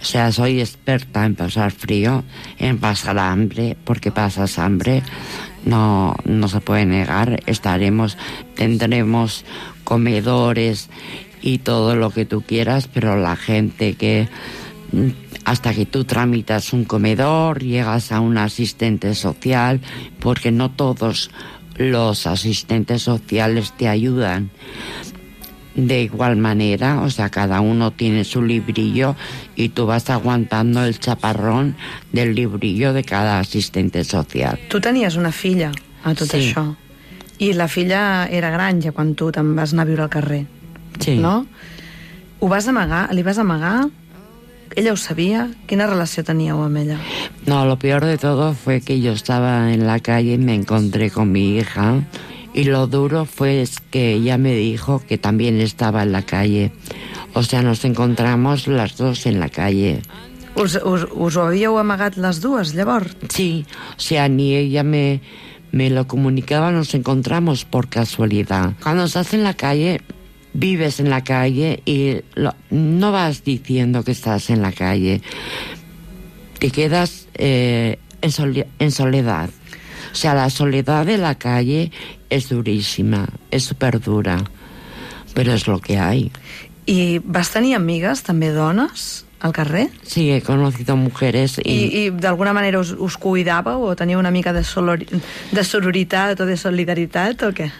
Speaker 9: O sea, soy experta en pasar frío, en pasar hambre, porque pasas hambre, no, no se puede negar. Estaremos, tendremos comedores y todo lo que tú quieras, pero la gente que hasta que tú tramitas un comedor, llegas a un asistente social, porque no todos los asistentes sociales te ayudan de igual manera, o sea, cada uno tiene su librillo y tú vas aguantando el chaparrón del librillo de cada asistente social.
Speaker 2: Tu tenies una filla a tot
Speaker 9: sí.
Speaker 2: això I la filla era gran ja quan tu te'n vas anar a viure al carrer.
Speaker 9: Sí.
Speaker 2: ¿No? Ho vas amagar? Li vas amagar? ¿Ella ho sabía? Quina relació teníeu amb ella?
Speaker 9: No, lo peor de todo fue que yo estaba en la calle y me encontré con mi hija. Y lo duro fue que ella me dijo que también estaba en la calle. O sea, nos encontramos las dos en la calle.
Speaker 2: Us, us, us ho havíeu amagat les dues, llavors?
Speaker 9: Sí, o sea, ni ella me, me lo comunicaba, nos encontramos por casualidad. Cuando estás en la calle, vives en la calle y lo, no vas diciendo que estás en la calle. Te quedas eh, en, sole, en soledad. O sea, la soledad de la calle es durísima, es súper dura, pero es lo que hay.
Speaker 2: I vas tenir amigues, també dones, al carrer?
Speaker 9: Sí, he conocido mujeres y...
Speaker 2: I, i d'alguna manera us, us cuidàveu o teniu una mica de, solori, de sororitat o de solidaritat o què?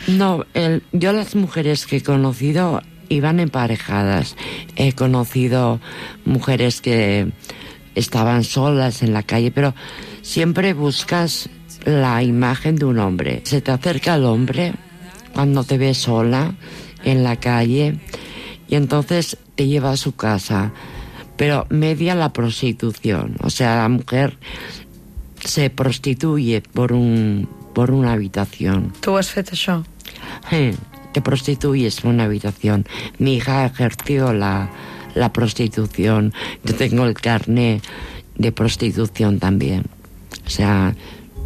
Speaker 9: No, el, yo las mujeres que he conocido iban emparejadas. He conocido mujeres que estaban solas en la calle, pero siempre buscas la imagen de un hombre. Se te acerca el hombre cuando te ve sola en la calle y entonces te lleva a su casa, pero media la prostitución. O sea, la mujer se prostituye por un por una habitación.
Speaker 2: Tu has fet això?
Speaker 9: Sí, te prostituyes por una habitación. Mi hija ejerció la, la prostitución. Yo tengo el carnet de prostitución también. O sea,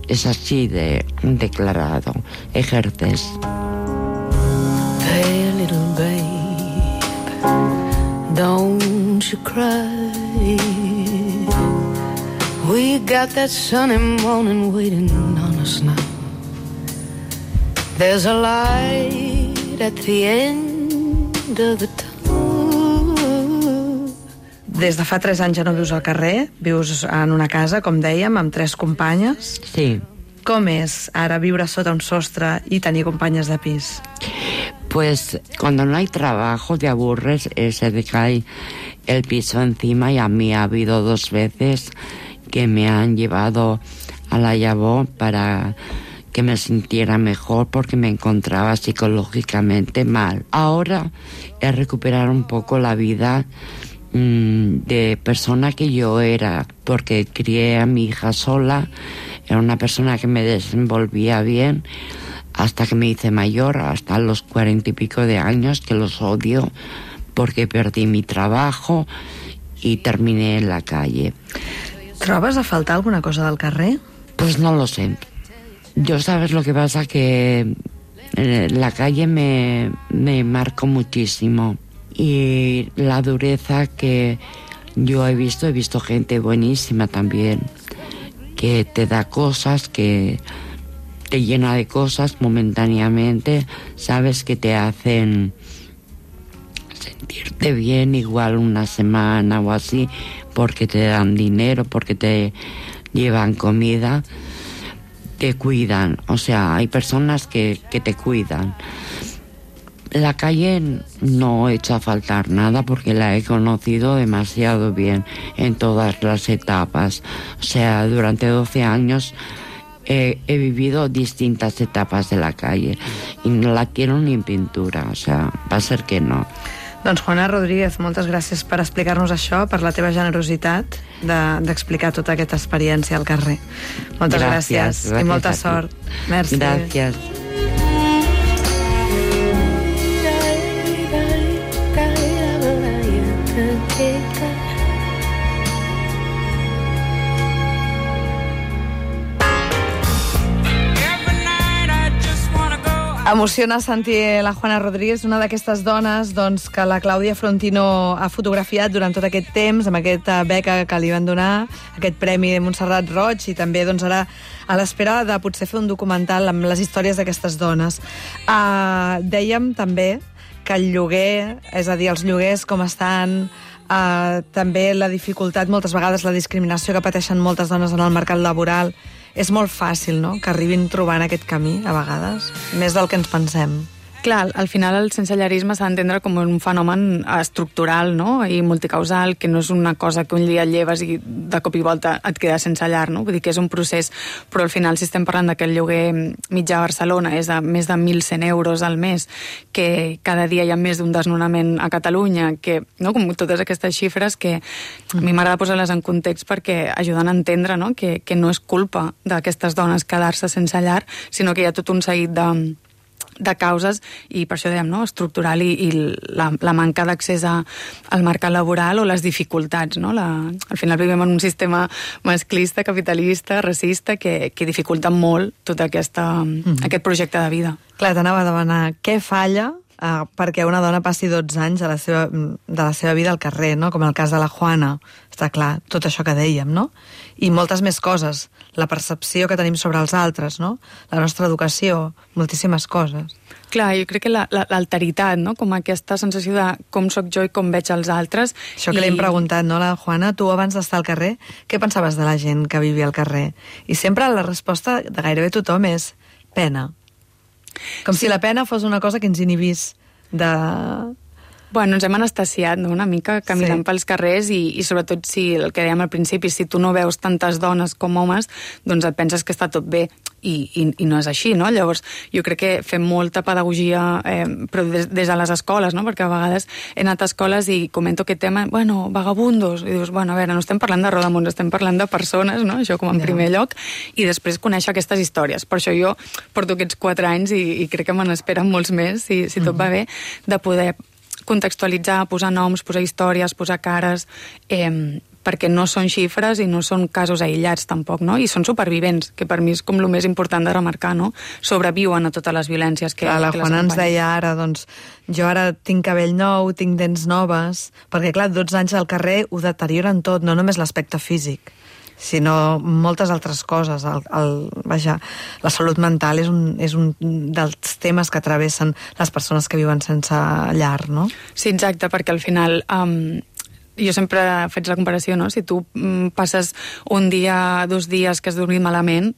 Speaker 9: es así de declarado. Ejerces.
Speaker 8: Hey, little babe, don't you cry. We got that sunny morning waiting on us now. There's a light at the end of the tunnel.
Speaker 2: Des de fa tres anys ja no vius al carrer, vius en una casa, com dèiem, amb tres companyes.
Speaker 9: Sí.
Speaker 2: Com és ara viure sota un sostre y tenir companyes de pis?
Speaker 9: Pues cuando no hay trabajo te aburres, eh, se te cae el piso encima y a mí ha habido dos veces que me han llevado a la Llavó para que me sintiera mejor porque me encontraba psicológicamente mal. Ahora he recuperado un poco la vida mmm, de persona que yo era, porque crié a mi hija sola, era una persona que me desenvolvía bien hasta que me hice mayor, hasta los cuarenta y pico de años, que los odio porque perdí mi trabajo y terminé en la calle.
Speaker 2: Trobes a faltar alguna cosa del carrer?
Speaker 9: Pues no lo sé. Yo, ¿sabes lo que pasa? Que eh, la calle me, me marcó muchísimo. Y la dureza que yo he visto, he visto gente buenísima también, que te da cosas, que te llena de cosas momentáneamente, sabes, que te hacen sentirte bien igual una semana o así, porque te dan dinero, porque te llevan comida, te cuidan. O sea, hay personas que, que te cuidan. La calle no he hecho a faltar nada porque la he conocido demasiado bien en todas las etapas. O sea, durante doce años he, he vivido distintas etapas de la calle y no la quiero ni en pintura. O sea, va a ser que no.
Speaker 2: Doncs Juana Rodríguez, moltes gràcies per explicar-nos això, per la teva generositat d'explicar de, tota aquesta experiència al carrer. Moltes gràcies, gràcies, gràcies i molta sort. Merci.
Speaker 9: Gràcies.
Speaker 2: Emociona sentir la Juana Rodríguez, una d'aquestes dones doncs, que la Clàudia Frontino ha fotografiat durant tot aquest temps, amb aquesta beca que li van donar, aquest premi de Montserrat Roig, i també doncs, ara a l'espera de potser fer un documental amb les històries d'aquestes dones. Uh, dèiem també que el lloguer, és a dir, els lloguers com estan, uh, també la dificultat, moltes vegades la discriminació que pateixen moltes dones en el mercat laboral, és molt fàcil, no?, que arribin trobant aquest camí, a vegades, més del que ens pensem.
Speaker 7: Clar, al final el sensellarisme s'ha d'entendre com un fenomen estructural, no? I multicausal, que no és una cosa que un dia et lleves i de cop i volta et quedes sense llar, no? Vull dir que és un procés, però al final si estem parlant que el lloguer mitjà a Barcelona és de més de mil cent euros al mes, que cada dia hi ha més d'un desnonament a Catalunya, que, no? Com totes aquestes xifres que a mi m'agrada posar-les en context perquè ajuden a entendre, no? Que, que no és culpa d'aquestes dones quedar-se sense llar, sinó que hi ha tot un seguit de de causes, i per això dèiem, no? Estructural i, i la, la manca d'accés al mercat laboral o les dificultats, no? La, al final vivim en un sistema masclista, capitalista, racista, que, que dificulta molt tot aquesta, mm-hmm. aquest projecte de vida.
Speaker 2: Clar, t'anava a demanar què falla eh, perquè una dona passi dotze anys de la, seva, de la seva vida al carrer, no? Com el cas de la Juana. Està clar, tot això que dèiem, no? I moltes més coses. La percepció que tenim sobre els altres, no? La nostra educació, moltíssimes coses.
Speaker 7: Clar, jo crec que l'alteritat, no? Com aquesta sensació de com sóc jo i com veig els altres.
Speaker 2: Això que
Speaker 7: i...
Speaker 2: li hem preguntat, no, la Juana? Tu, abans d'estar al carrer, què pensaves de la gent que vivia al carrer? I sempre la resposta de gairebé tothom és pena. Com sí. si la pena fos una cosa que ens inhibís de...
Speaker 7: Bueno, ens hem anestesiat, no?, una mica caminant sí. pels carrers i, i sobretot si, el que dèiem al principi, si tu no veus tantes dones com homes, doncs et penses que està tot bé i, i, i no és així, no? Llavors, jo crec que fem molta pedagogia, eh, però des, des de les escoles, no? Perquè a vegades he anat a escoles i comento aquest tema, bueno, vagabundos, i dius, bueno, a veure, no estem parlant de rodamons, estem parlant de persones, no? Això com en yeah. primer lloc, i després conèixer aquestes històries. Per això jo porto aquests quatre anys i, i crec que me n'esperen molts més, si, si tot mm-hmm. va bé, de poder contextualitzar, posar noms, posar històries, posar cares, eh, perquè no són xifres i no són casos aïllats tampoc, no? I són supervivents, que per mi és com el més important de remarcar, no? Sobreviuen a totes les violències que,
Speaker 2: clar, la
Speaker 7: que
Speaker 2: Juana ens deia ara, doncs, jo ara tinc cabell nou, tinc dents noves, perquè clar, dotze anys al carrer ho deterioren tot, no només l'aspecte físic, sinó moltes altres coses. El, el, vaja, la salut mental és un, és un dels temes que travessen les persones que viuen sense llar, no?
Speaker 7: Sí, exacte, perquè al final... Um, jo sempre faig la comparació, no? Si tu mm, passes un dia, dos dies que has dormit malament,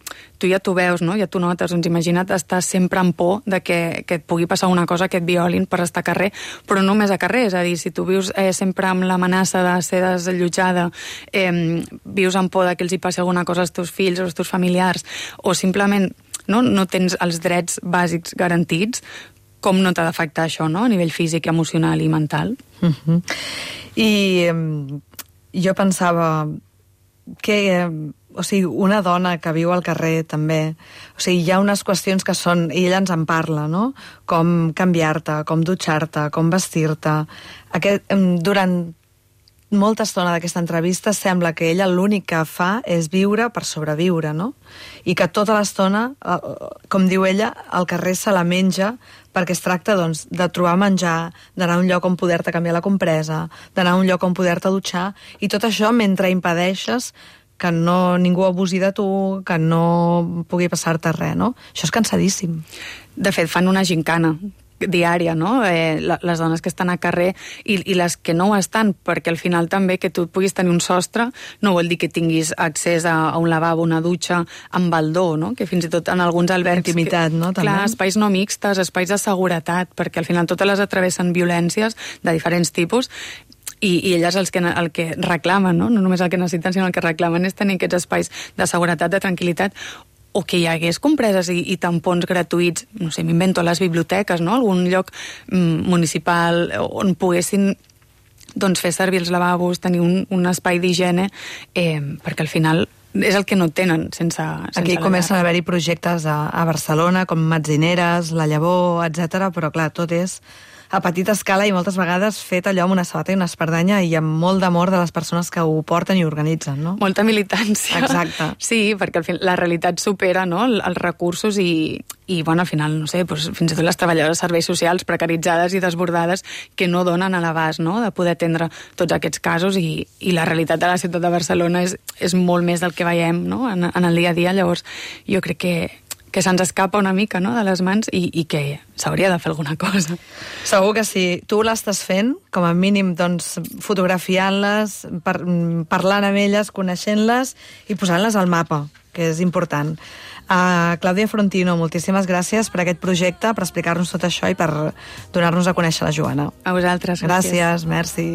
Speaker 7: tu ja t'ho veus, no? Ja t'ho notes, doncs imagina't estar sempre en por de que, que et pugui passar una cosa, que et violin per estar a carrer, però no només a carrer, és a dir, si tu vius eh, sempre amb l'amenaça de ser desallotjada, eh, vius amb por de que els hi passi alguna cosa als teus fills o als teus familiars, o simplement no, no tens els drets bàsics garantits, com no t'ha d'afectar això, no? A nivell físic, emocional i mental.
Speaker 2: Uh-huh. I um, jo pensava que, um, o sigui, una dona que viu al carrer també, o sigui, hi ha unes qüestions que són, i ella ens en parla, no? Com canviar-te, com dutxar-te, com vestir-te. Aquest, um, durant molta estona d'aquesta entrevista sembla que ella l'únic que fa és viure per sobreviure, no? I que tota l'estona, com diu ella, el carrer se la menja perquè es tracta, doncs, de trobar menjar, d'anar a un lloc on poder-te canviar la compresa, d'anar a un lloc on poder-te dutxar, i tot això mentre impedeixes que no, ningú abusi de tu, que no pugui passar-te res, no? Això és cansadíssim.
Speaker 7: De fet, fan una gincana diària, no? Eh, les dones que estan a carrer i, i les que no ho estan, perquè al final també que tu puguis tenir un sostre no vol dir que tinguis accés a, a un lavabo, una dutxa, amb baldó, no? Que fins i tot en alguns albergs...
Speaker 2: Intimitat, no? També.
Speaker 7: Clar, espais no mixtes, espais de seguretat, perquè al final totes les atravessen violències de diferents tipus, i, i elles els que, el que reclamen, no? No només el que necessiten, sinó el que reclamen és tenir aquests espais de seguretat, de tranquil·litat, o que hi hagués compreses i, i tampons gratuïts, no sé, m'invento, a les biblioteques, no? Algun lloc mm, municipal on poguessin doncs, fer servir els lavabos, tenir un, un espai d'higiene, eh, perquè al final és el que no tenen sense... sense
Speaker 2: Aquí comencen a haver-hi projectes a, a Barcelona, com Metzineres, La Llavor, etcètera, però clar, tot és a petita escala i moltes vegades fet allò amb una sabata i una espardanya i amb molt d'amor de les persones que ho porten i organitzen, no?
Speaker 7: Molta militància.
Speaker 2: Exacte.
Speaker 7: Sí, perquè al final la realitat supera, no?, els recursos i, i bueno, al final, no sé, doncs, fins i tot les treballadores de serveis socials precaritzades i desbordades que no donen a l'abast, no?, de poder atendre tots aquests casos i, i la realitat de la ciutat de Barcelona és, és molt més del que veiem, no?, en, en el dia a dia. Llavors, jo crec que que se'ns escapa una mica, no?, de les mans i, i que s'hauria de fer alguna cosa.
Speaker 2: Segur que sí. Tu l'estàs fent, com a mínim, doncs, fotografiant-les, par parlant amb elles, coneixent-les i posant-les al mapa, que és important. Uh, Clàudia Frontino, moltíssimes gràcies per aquest projecte, per explicar-nos tot això i per donar-nos a conèixer la Joana.
Speaker 7: A vosaltres, gràcies.
Speaker 2: Gràcies, merci.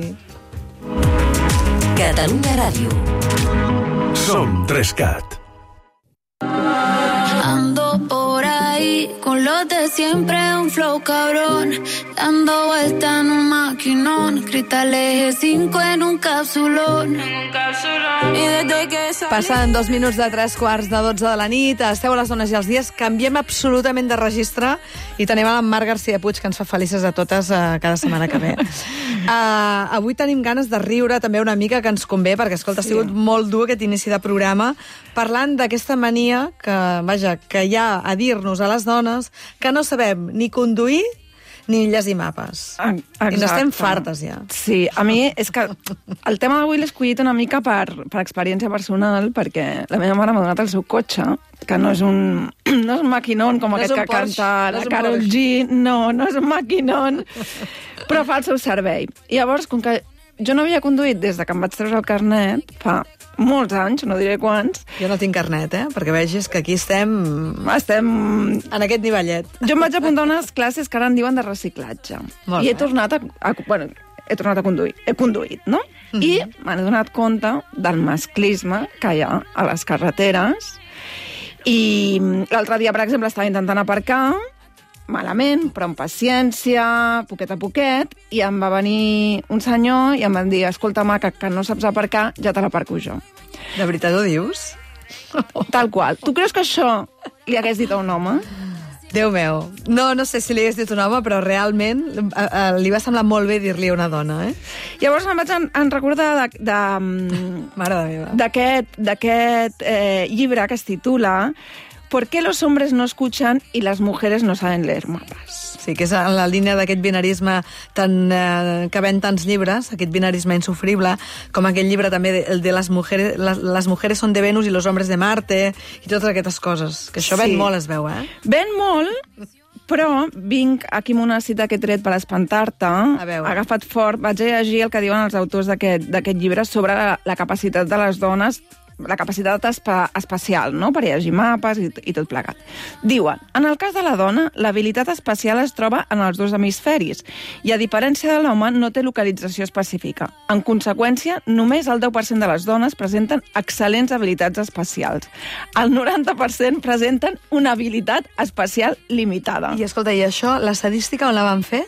Speaker 10: Catalunya Ràdio.
Speaker 3: Som Trescat.
Speaker 4: Ando por ahí con los de siempre, un flow cabrón, dando vuelta en un maquinón, cristales G cinco en un capsulón. Y desde que
Speaker 2: Passen dos minuts de tres quarts de dotze de la nit, esteu a les dones i els dies, canviem absolutament de registre i tenim a la Mar García Puig, que ens fa felices a totes uh, cada setmana que ve. Uh, avui tenim ganes de riure també una mica, que ens convé, perquè, escolta, sí. ha sigut molt dur aquest inici de programa, parlant d'aquesta mania que, vaja, que hi ha a dir-nos a les dones que no sabem ni conduir ni llegir mapes.
Speaker 11: Exacte.
Speaker 2: I n'estem fartes, ja.
Speaker 11: Sí, a mi és que el tema d'avui l'he escollit una mica per, per experiència personal, perquè la meva mare m'ha donat el seu cotxe, que no és un, no és un maquinón com no aquest que Porsche, canta no la Karol G, no, no és un maquinón, però fa el seu servei. I llavors, com que jo no havia conduït des de que em vaig treure el carnet, fa molts anys, no diré quants.
Speaker 2: Jo no tinc carnet, eh? Perquè vegis que aquí estem...
Speaker 11: Estem...
Speaker 2: en aquest nivellet.
Speaker 11: Jo em vaig apuntar unes classes que ara en diuen de reciclatge.
Speaker 2: Molt
Speaker 11: I he
Speaker 2: bé.
Speaker 11: tornat a, a... Bueno, he tornat a conduir. He conduït, no? Mm -hmm. I m'he donat compte del masclisme que hi ha a les carreteres. I l'altre dia, per exemple, estava intentant aparcar malament, però amb paciència, poquet a poquet, i em va venir un senyor i em van dir: escolta, maca, que no saps aparcar, ja te l'aparco jo.
Speaker 2: De veritat ho dius?
Speaker 11: Tal qual. Tu creus que això li hagués dit a un home?
Speaker 2: Déu meu. No, no sé si li hagués dit un home, però realment eh, eh, li va semblar molt bé dir-li a una dona, eh?
Speaker 11: Llavors em vaig en, en recordar de, de,
Speaker 2: Mare de meva.
Speaker 11: d'aquest d'aquest eh, llibre que es titula ¿Por qué los hombres no escuchan y las mujeres no saben leer mapas?
Speaker 2: Sí, que és en la línia d'aquest binarisme tan, eh, que ven tants llibres, aquest binarisme insufrible, com aquell llibre també de, el de les mujeres, les, les mujeres son de Venus i los hombres de Marte, i totes aquestes coses, que això
Speaker 11: Sí.
Speaker 2: ven molt, es veu, eh?
Speaker 11: Ven molt, però vinc aquí amb una cita que he tret per espantar-te. Agafat fort, vaig a llegir el que diuen els autors d'aquest d'aquest llibre sobre la, la capacitat de les dones, la capacitat espa, espacial, no?, per llegir mapes i, i tot plegat. Diuen, en el cas de la dona, l'habilitat espacial es troba en els dos hemisferis i, a diferència de l'home, no té localització específica. En conseqüència, només el deu per cent de les dones presenten excel·lents habilitats espacials. El noranta per cent presenten una habilitat espacial limitada.
Speaker 2: I escolta, i això, l'estadística on la van fer?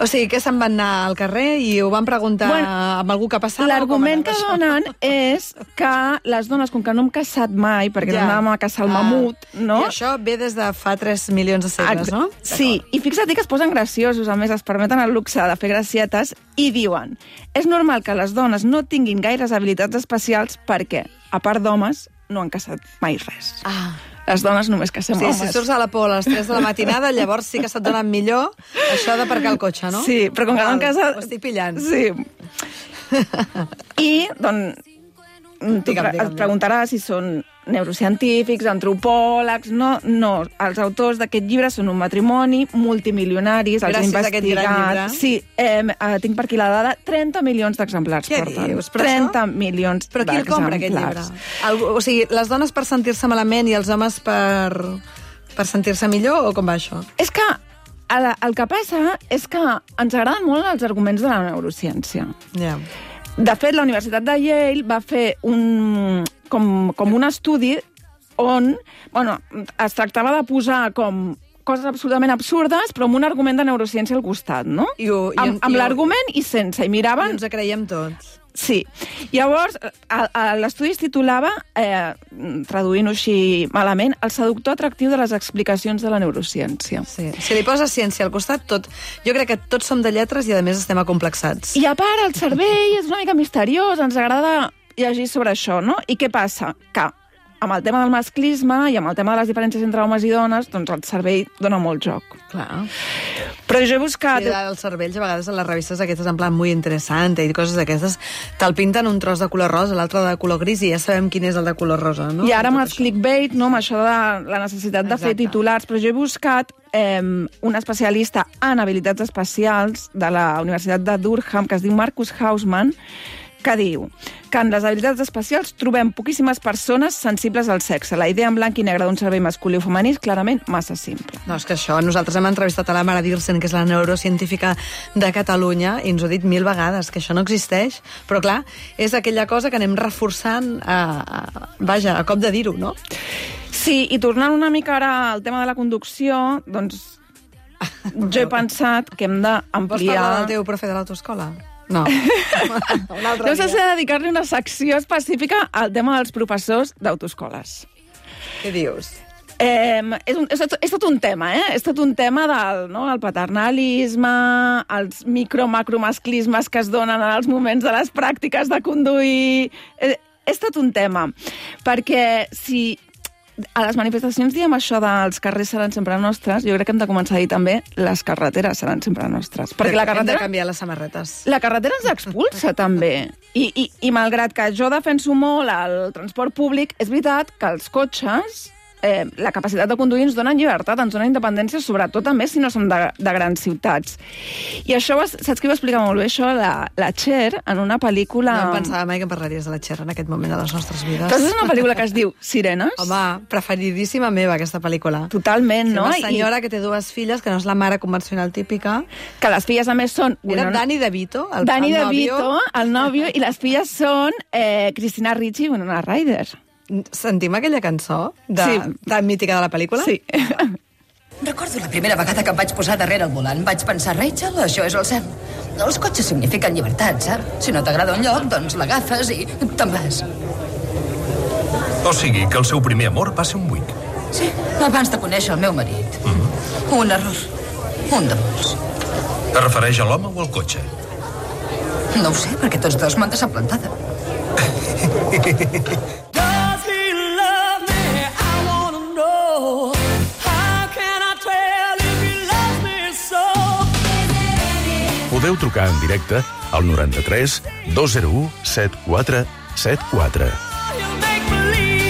Speaker 2: O sigui, que se'n van anar al carrer i ho van preguntar bueno, amb algú que passava?
Speaker 11: L'argument que donen és que les dones, com que no hem caçat mai, perquè ja. no anàvem a caçar el
Speaker 2: ah.
Speaker 11: mamut, no?
Speaker 2: I això ve des de fa tres milions de segles, no?
Speaker 11: Sí, i fixa't que es posen graciosos, a més es permeten el luxe de fer gracietes, i diuen, és normal que les dones no tinguin gaires habilitats especials perquè, a part d'homes, no han caçat mai res.
Speaker 2: Ah.
Speaker 11: Les dones només cacem
Speaker 2: sí,
Speaker 11: homes.
Speaker 2: Si surts a la por a les tres de la matinada, llavors sí que se't donen millor això d'aparcar el cotxe, no?
Speaker 11: Sí, però com que no han casat...
Speaker 2: Ho estic pillant.
Speaker 11: Sí. I, doncs, tu
Speaker 2: digue'm,
Speaker 11: pre
Speaker 2: digue'm,
Speaker 11: et preguntaràs si són neurocientífics, antropòlegs... No, no. Els autors d'aquest llibre són un matrimoni, multimilionaris, els
Speaker 2: Gràcies a aquest gran llibre.
Speaker 11: Sí, eh, eh, tinc per aquí la dada, trenta milions d'exemplars.
Speaker 2: Què
Speaker 11: porten.
Speaker 2: dius? Però
Speaker 11: trenta
Speaker 2: això?
Speaker 11: milions
Speaker 2: Però qui el compra, aquest llibre? El, o sigui, les dones per sentir-se malament i els homes per, per sentir-se millor, o com va això?
Speaker 11: És que el, el que passa és que ens agraden molt els arguments de la neurociència.
Speaker 2: Ja. Yeah.
Speaker 11: De fet, la Universitat de Yale va fer un, com, com un estudi on bueno, es tractava de posar com coses absolutament absurdes, però amb un argument de neurociència al costat, no?
Speaker 2: I ho, i,
Speaker 11: amb amb l'argument i sense, i miraven...
Speaker 2: I ens creiem tots.
Speaker 11: Sí. Llavors, l'estudi es titulava, eh, traduint-ho així malament, el seductor atractiu de les explicacions de la neurociència.
Speaker 2: Sí. Si li poses ciència al costat, tot... Jo crec que tots som de lletres i, a més, estem acomplexats.
Speaker 11: I a part, el cervell és una mica misteriós, ens agrada llegir sobre això, no? I què passa? Que amb el tema del masclisme i amb el tema de les diferències entre homes i dones, doncs el cervell dona molt joc.
Speaker 2: Clar.
Speaker 11: Però jo he buscat...
Speaker 2: Sí, els cervells, a vegades, a les revistes aquestes, en plan, muy interessant, i coses d'aquestes, te'l pinten un tros de color rosa, l'altre de color gris, i ja sabem quin és el de color rosa, no?
Speaker 11: I ara amb el clickbait, no, amb això de la necessitat de Exacte. fer titulars, però jo he buscat eh, un especialista en habilitats especials de la Universitat de Durham, que es diu Marcus Hausman, que diu que en les habilitats especials trobem poquíssimes persones sensibles al sexe. La idea en blanc i negre d'un cervell masculí o femení és clarament massa simple.
Speaker 2: No, és que això, nosaltres hem entrevistat a la Mara Dirsen, que és la neurocientífica de Catalunya, i ens ho ha dit mil vegades, que això no existeix, però clar, és aquella cosa que anem reforçant, a, a, vaja, a cop de dir-ho, no?
Speaker 11: Sí, i tornant una mica ara al tema de la conducció, doncs jo he pensat que hem d'ampliar...
Speaker 2: Vols parlar del teu profe de l'autoescola? No.
Speaker 11: No sé si he de dedicar-li una secció específica al tema dels professors d'autoescoles.
Speaker 2: Què dius?
Speaker 11: Eh, és, un, és, tot, és tot un tema, eh? És tot un tema del, no, el paternalisme, els micro-macromasclismes que es donen en els moments de les pràctiques de conduir... Eh, és tot un tema. Perquè si a les manifestacions diem això dels carrers seran sempre nostres, jo crec que hem de començar a dir també les carreteres seran sempre nostres. Perquè la carretera...
Speaker 2: Hem de canviar les samarretes.
Speaker 11: La carretera ens expulsa, també. I, i, I malgrat que jo defenso molt el transport públic, és veritat que els cotxes, eh, la capacitat de conduir ens donen llibertat, ens donen independència, sobretot també si no som de, de grans ciutats. I això, saps qui va explicar molt bé això? La, la Cher, en una pel·lícula...
Speaker 2: No em pensava mai que parlaries de la Cher en aquest moment de les nostres vides.
Speaker 11: Doncs és una pel·lícula que es diu Sirenes.
Speaker 2: Home, preferidíssima meva, aquesta pel·lícula.
Speaker 11: Totalment,
Speaker 2: sí,
Speaker 11: no?
Speaker 2: Una senyora
Speaker 11: I...
Speaker 2: que té dues filles, que no és la mare convencional típica.
Speaker 11: Que les filles, a més, són...
Speaker 2: Era bueno, Danny DeVito, el,
Speaker 11: Danny
Speaker 2: el
Speaker 11: DeVito,
Speaker 2: nòvio.
Speaker 11: el nòvio, i les filles són eh, Christina Ricci i Winona Ryder.
Speaker 2: Sentim aquella cançó de,
Speaker 11: sí.
Speaker 2: tan mítica de la pel·lícula?
Speaker 11: Sí.
Speaker 10: Recordo la primera vegada que em vaig posar darrere el volant. Vaig pensar, Rachel, això és el cel. Els cotxes signifiquen llibertat, saps? Si no t'agrada un lloc, doncs l'agafes i te'n vas.
Speaker 12: O sigui, que el seu primer amor va ser un buit.
Speaker 10: Sí, abans de conèixer el meu marit. Mm-hmm. Un error. Un de molts.
Speaker 12: Es refereix a l'home o al cotxe?
Speaker 10: No ho sé, perquè tots dos m'han deixat plantada.
Speaker 3: Podeu trucar en directe al noranta-tres dos zero u set quatre set quatre.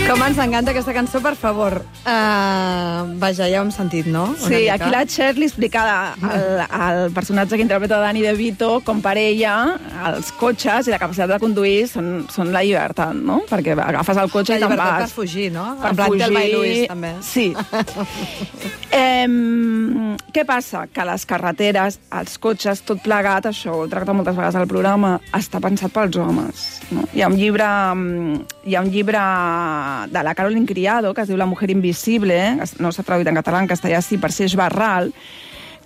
Speaker 2: Com ens encanta aquesta cançó, per favor. Uh, vaja, ja ho hem sentit, no? Una
Speaker 11: sí,
Speaker 2: mica.
Speaker 11: Aquí la Cher li explica al, al personatge que interpreta Danny DeVito com per ella els cotxes i la capacitat de conduir són, són la llibertat, no? Perquè agafes el cotxe
Speaker 2: la
Speaker 11: i te'n vas.
Speaker 2: La llibertat per fugir, no?
Speaker 11: Per
Speaker 2: en plan
Speaker 11: fugir...
Speaker 2: Thelma i Louise, també.
Speaker 11: Sí. eh, què passa? Que les carreteres, els cotxes, tot plegat, això ho tracta moltes vegades al programa, està pensat pels homes. No? Hi ha un llibre... Hi ha un llibre de la Caroline Criado, que es diu La mujer invisible, no s'ha traduït en català, en castellà sí, per Seix Barral,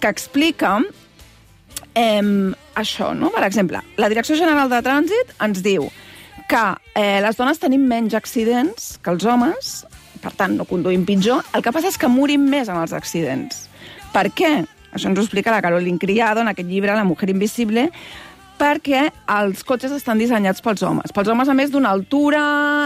Speaker 11: que explica eh, això, no? Per exemple, la Direcció General de Trànsit ens diu que eh, les dones tenim menys accidents que els homes, per tant, no conduïm pitjor, el que passa és que morim més en els accidents. Per què? Això ens ho explica la Caroline Criado en aquest llibre La mujer invisible, perquè els cotxes estan dissenyats pels homes. Pels homes, a més, d'una altura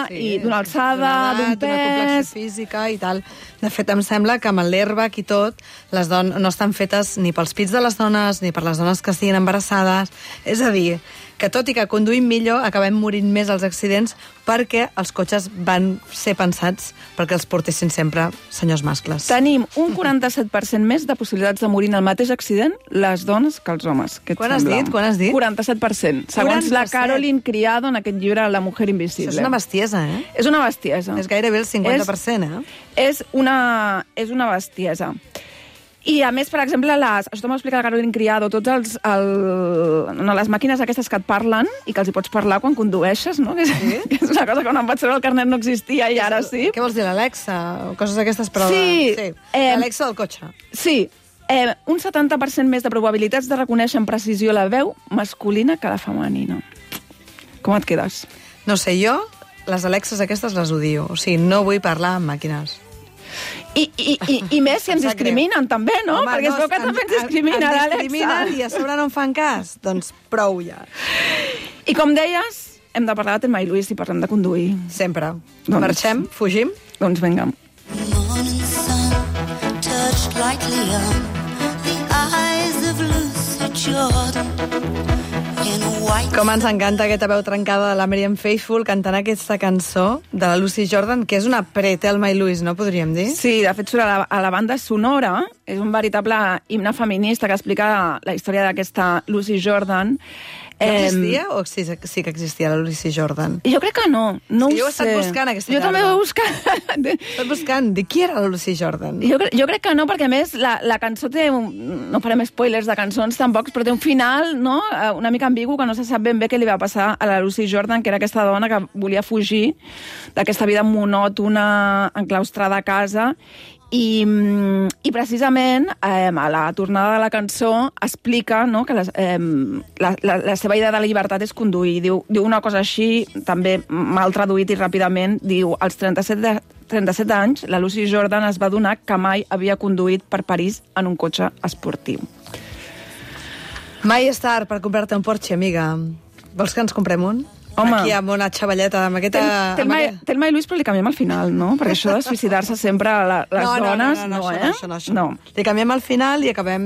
Speaker 11: sí, i d'una alçada, d'un pes...
Speaker 2: D'una complexió física i tal. De fet, em sembla que amb l'airbag i tot, les dones no estan fetes ni pels pits de les dones, ni per les dones que estiguin embarassades. És a dir, que tot i que conduïm millor, acabem morint més als accidents perquè els cotxes van ser pensats perquè els portessin sempre senyors mascles.
Speaker 11: Tenim un quaranta-set per cent més de possibilitats de morir en el mateix accident les dones que els homes. Què et
Speaker 2: Quan has
Speaker 11: sembla?
Speaker 2: dit? Quan has dit?
Speaker 11: quaranta-set per cent. Segons
Speaker 2: quaranta-set.
Speaker 11: La Caroline Criado en aquest llibre La mujer invisible.
Speaker 2: Això és una bestiesa, eh?
Speaker 11: És una bestiesa.
Speaker 2: És gairebé el cinquanta per cent, eh?
Speaker 11: És una, és una bestiesa. I, a més, per exemple, les, això t'ho explica la Caroline Criado, tots els, el, no, les màquines aquestes que et parlen i que els hi pots parlar quan condueixes, no? Que és, sí? que és una cosa que quan em vaig treure el carnet no existia i ara sí.
Speaker 2: Què vols dir, l'Alexa? O coses d'aquestes, però...
Speaker 11: Sí.
Speaker 2: sí.
Speaker 11: Eh,
Speaker 2: L'Alexa del cotxe.
Speaker 11: Sí. Eh, un setanta per cent més de probabilitats de reconèixer amb precisió la veu masculina que la femenina. Com et quedes?
Speaker 2: No sé, jo les Alexes aquestes les odio. O sigui, no vull parlar amb màquines.
Speaker 11: I, i, i, i més si ens discriminen, també, no?
Speaker 2: Home,
Speaker 11: perquè es veu que també ens discriminen,
Speaker 2: ens
Speaker 11: Alexa.
Speaker 2: discriminen i a sobre no en fan cas. Doncs prou ja.
Speaker 11: I com deies, hem de parlar de Thelma i Louise i parlem de conduir.
Speaker 2: Sempre.
Speaker 11: Doncs,
Speaker 2: marxem? Fugim?
Speaker 11: Doncs vinga.
Speaker 13: Morning sun touched lightly on the eyes of Lucy Jordan.
Speaker 2: Com ens encanta aquesta veu trencada de la Miriam Faithfull cantant aquesta cançó de la Lucy Jordan, que és una pre-Thelma i Louise, no podríem dir?
Speaker 11: Sí, de fet, surt a la, a la banda sonora. És un veritable himne feminista que explica la història d'aquesta Lucy Jordan.
Speaker 2: No existia o sí, sí que existia la Lucy Jordan?
Speaker 11: Jo crec que no, no ho sé.
Speaker 2: Jo he estat buscant aquesta
Speaker 11: jo
Speaker 2: tarda.
Speaker 11: Jo també ho he buscat.
Speaker 2: He estat buscant de qui era la Lucy Jordan.
Speaker 11: Jo, jo crec que no, perquè a més la, la cançó té... Un, no farem spoilers de cançons tampoc, però té un final, no?, una mica ambigu, que no se sap ben bé què li va passar a la Lucy Jordan, que era aquesta dona que volia fugir d'aquesta vida monòtona, enclaustrada a casa. I, i precisament eh, a la tornada de la cançó explica, no, que les, eh, la, la, la seva idea de la llibertat és conduir. Diu, diu una cosa així, també mal traduït i ràpidament, diu, als trenta-set, de, trenta-set anys la Lucy Jordan es va adonar que mai havia conduït per París en un cotxe esportiu.
Speaker 2: Mai és tard per comprar-te un Porsche, amiga. Vols que ens comprem un? Home. Aquí amb una xavalleta, amb aquesta...
Speaker 11: Té el Mai i Luis, però li canviem al final, no? Perquè això de suïcidar-se sempre a la, les
Speaker 2: no, no,
Speaker 11: dones...
Speaker 2: No, no, no, no,
Speaker 11: eh?
Speaker 2: això no, això no. no. Li canviem al final i acabem...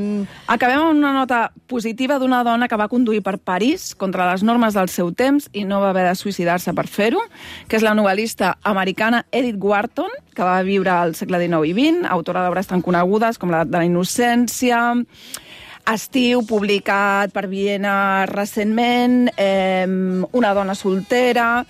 Speaker 11: Acabem amb una nota positiva d'una dona que va conduir per París contra les normes del seu temps i no va haver de suïcidar-se per fer-ho, que és la novel·lista americana Edith Wharton, que va viure al segle dinou i vint, autora d'obres tan conegudes com la de la innocència... Estiu, publicat per Viena recentment, eh, una dona soltera...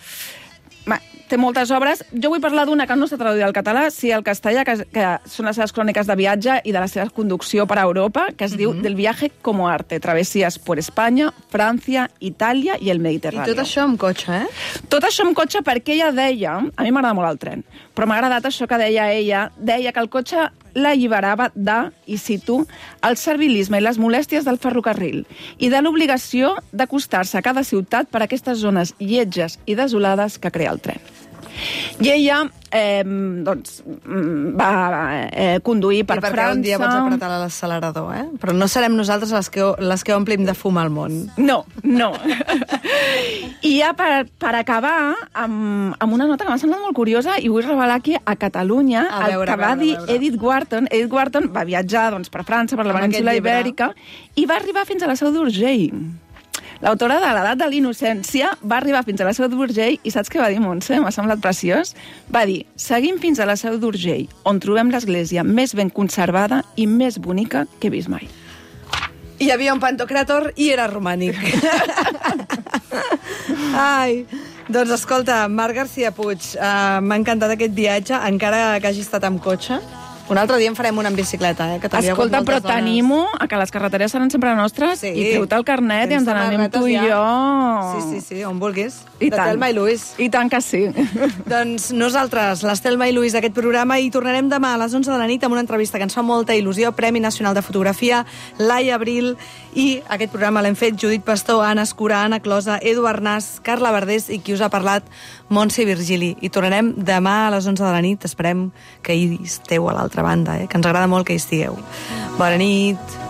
Speaker 11: Ma, té moltes obres. Jo vull parlar d'una que no està traduïda al català, sí al castellà, que, que són les seves cròniques de viatge i de la seva conducció per a Europa, que es mm-hmm. diu Del viaje como arte, travessies per Espanya, França, Itàlia i el Mediterrani.
Speaker 2: I tot això amb cotxe, eh?
Speaker 11: Tot això amb cotxe perquè ella deia... A mi m'agrada molt el tren, però m'ha agradat això que deia ella. Deia que el cotxe l'alliberava de, i cito, el servilisme i les molèsties del ferrocarril i de l'obligació d'acostar-se a cada ciutat per aquestes zones lletges i desolades que crea el tren. I ella eh, doncs, va eh, conduir per
Speaker 2: I perquè
Speaker 11: França...
Speaker 2: un dia pots apretar l'accelerador, eh? Però no serem nosaltres les que, les que omplim de fum al món.
Speaker 11: No, no. I ja per, per acabar amb, amb una nota que m'ha semblat molt curiosa i vull revelar aquí a Catalunya a veure, el que va veure, dir veure. Edith Wharton. Edith Wharton va viatjar doncs, per França, per la península Ibèrica, i va arribar fins a la Seu d'Urgell. L'autora de l'edat de l'innocència va arribar fins a la Seu d'Urgell i saps què va dir, Montse? M'ha semblat preciós. Va dir, seguim fins a la Seu d'Urgell, on trobem l'església més ben conservada i més bonica que he vist mai.
Speaker 2: Hi havia un pantocràtor i era romànic. Ai, doncs escolta, Marc García Puig, uh, m'ha encantat aquest viatge, encara que hagi estat amb cotxe. Un altre dia en farem una en bicicleta, eh? Que
Speaker 11: escolta, però t'animo a que les carreteres seran sempre nostres sí. i treu-te el carnet i ens n'anem tu i jo.
Speaker 2: Sí, sí, sí, on vulguis.
Speaker 11: I
Speaker 2: de
Speaker 11: tant.
Speaker 2: Telma i Luis.
Speaker 11: I tant que sí.
Speaker 2: Doncs nosaltres, les Telma i Luis d'aquest programa, i tornarem demà a les onze de la nit amb una entrevista que ens fa molta il·lusió, Premi Nacional de Fotografia, Laia Abril, i aquest programa l'hem fet Judit Pastor, Anna Escura, Anna Closa, Edu Arnàs, Carla Verdés i qui us ha parlat, Montse Virgili. I tornarem demà a les onze de la nit. Esperem que hi esteu a l'altra banda, eh? Que ens agrada molt que hi estigueu. Bona nit.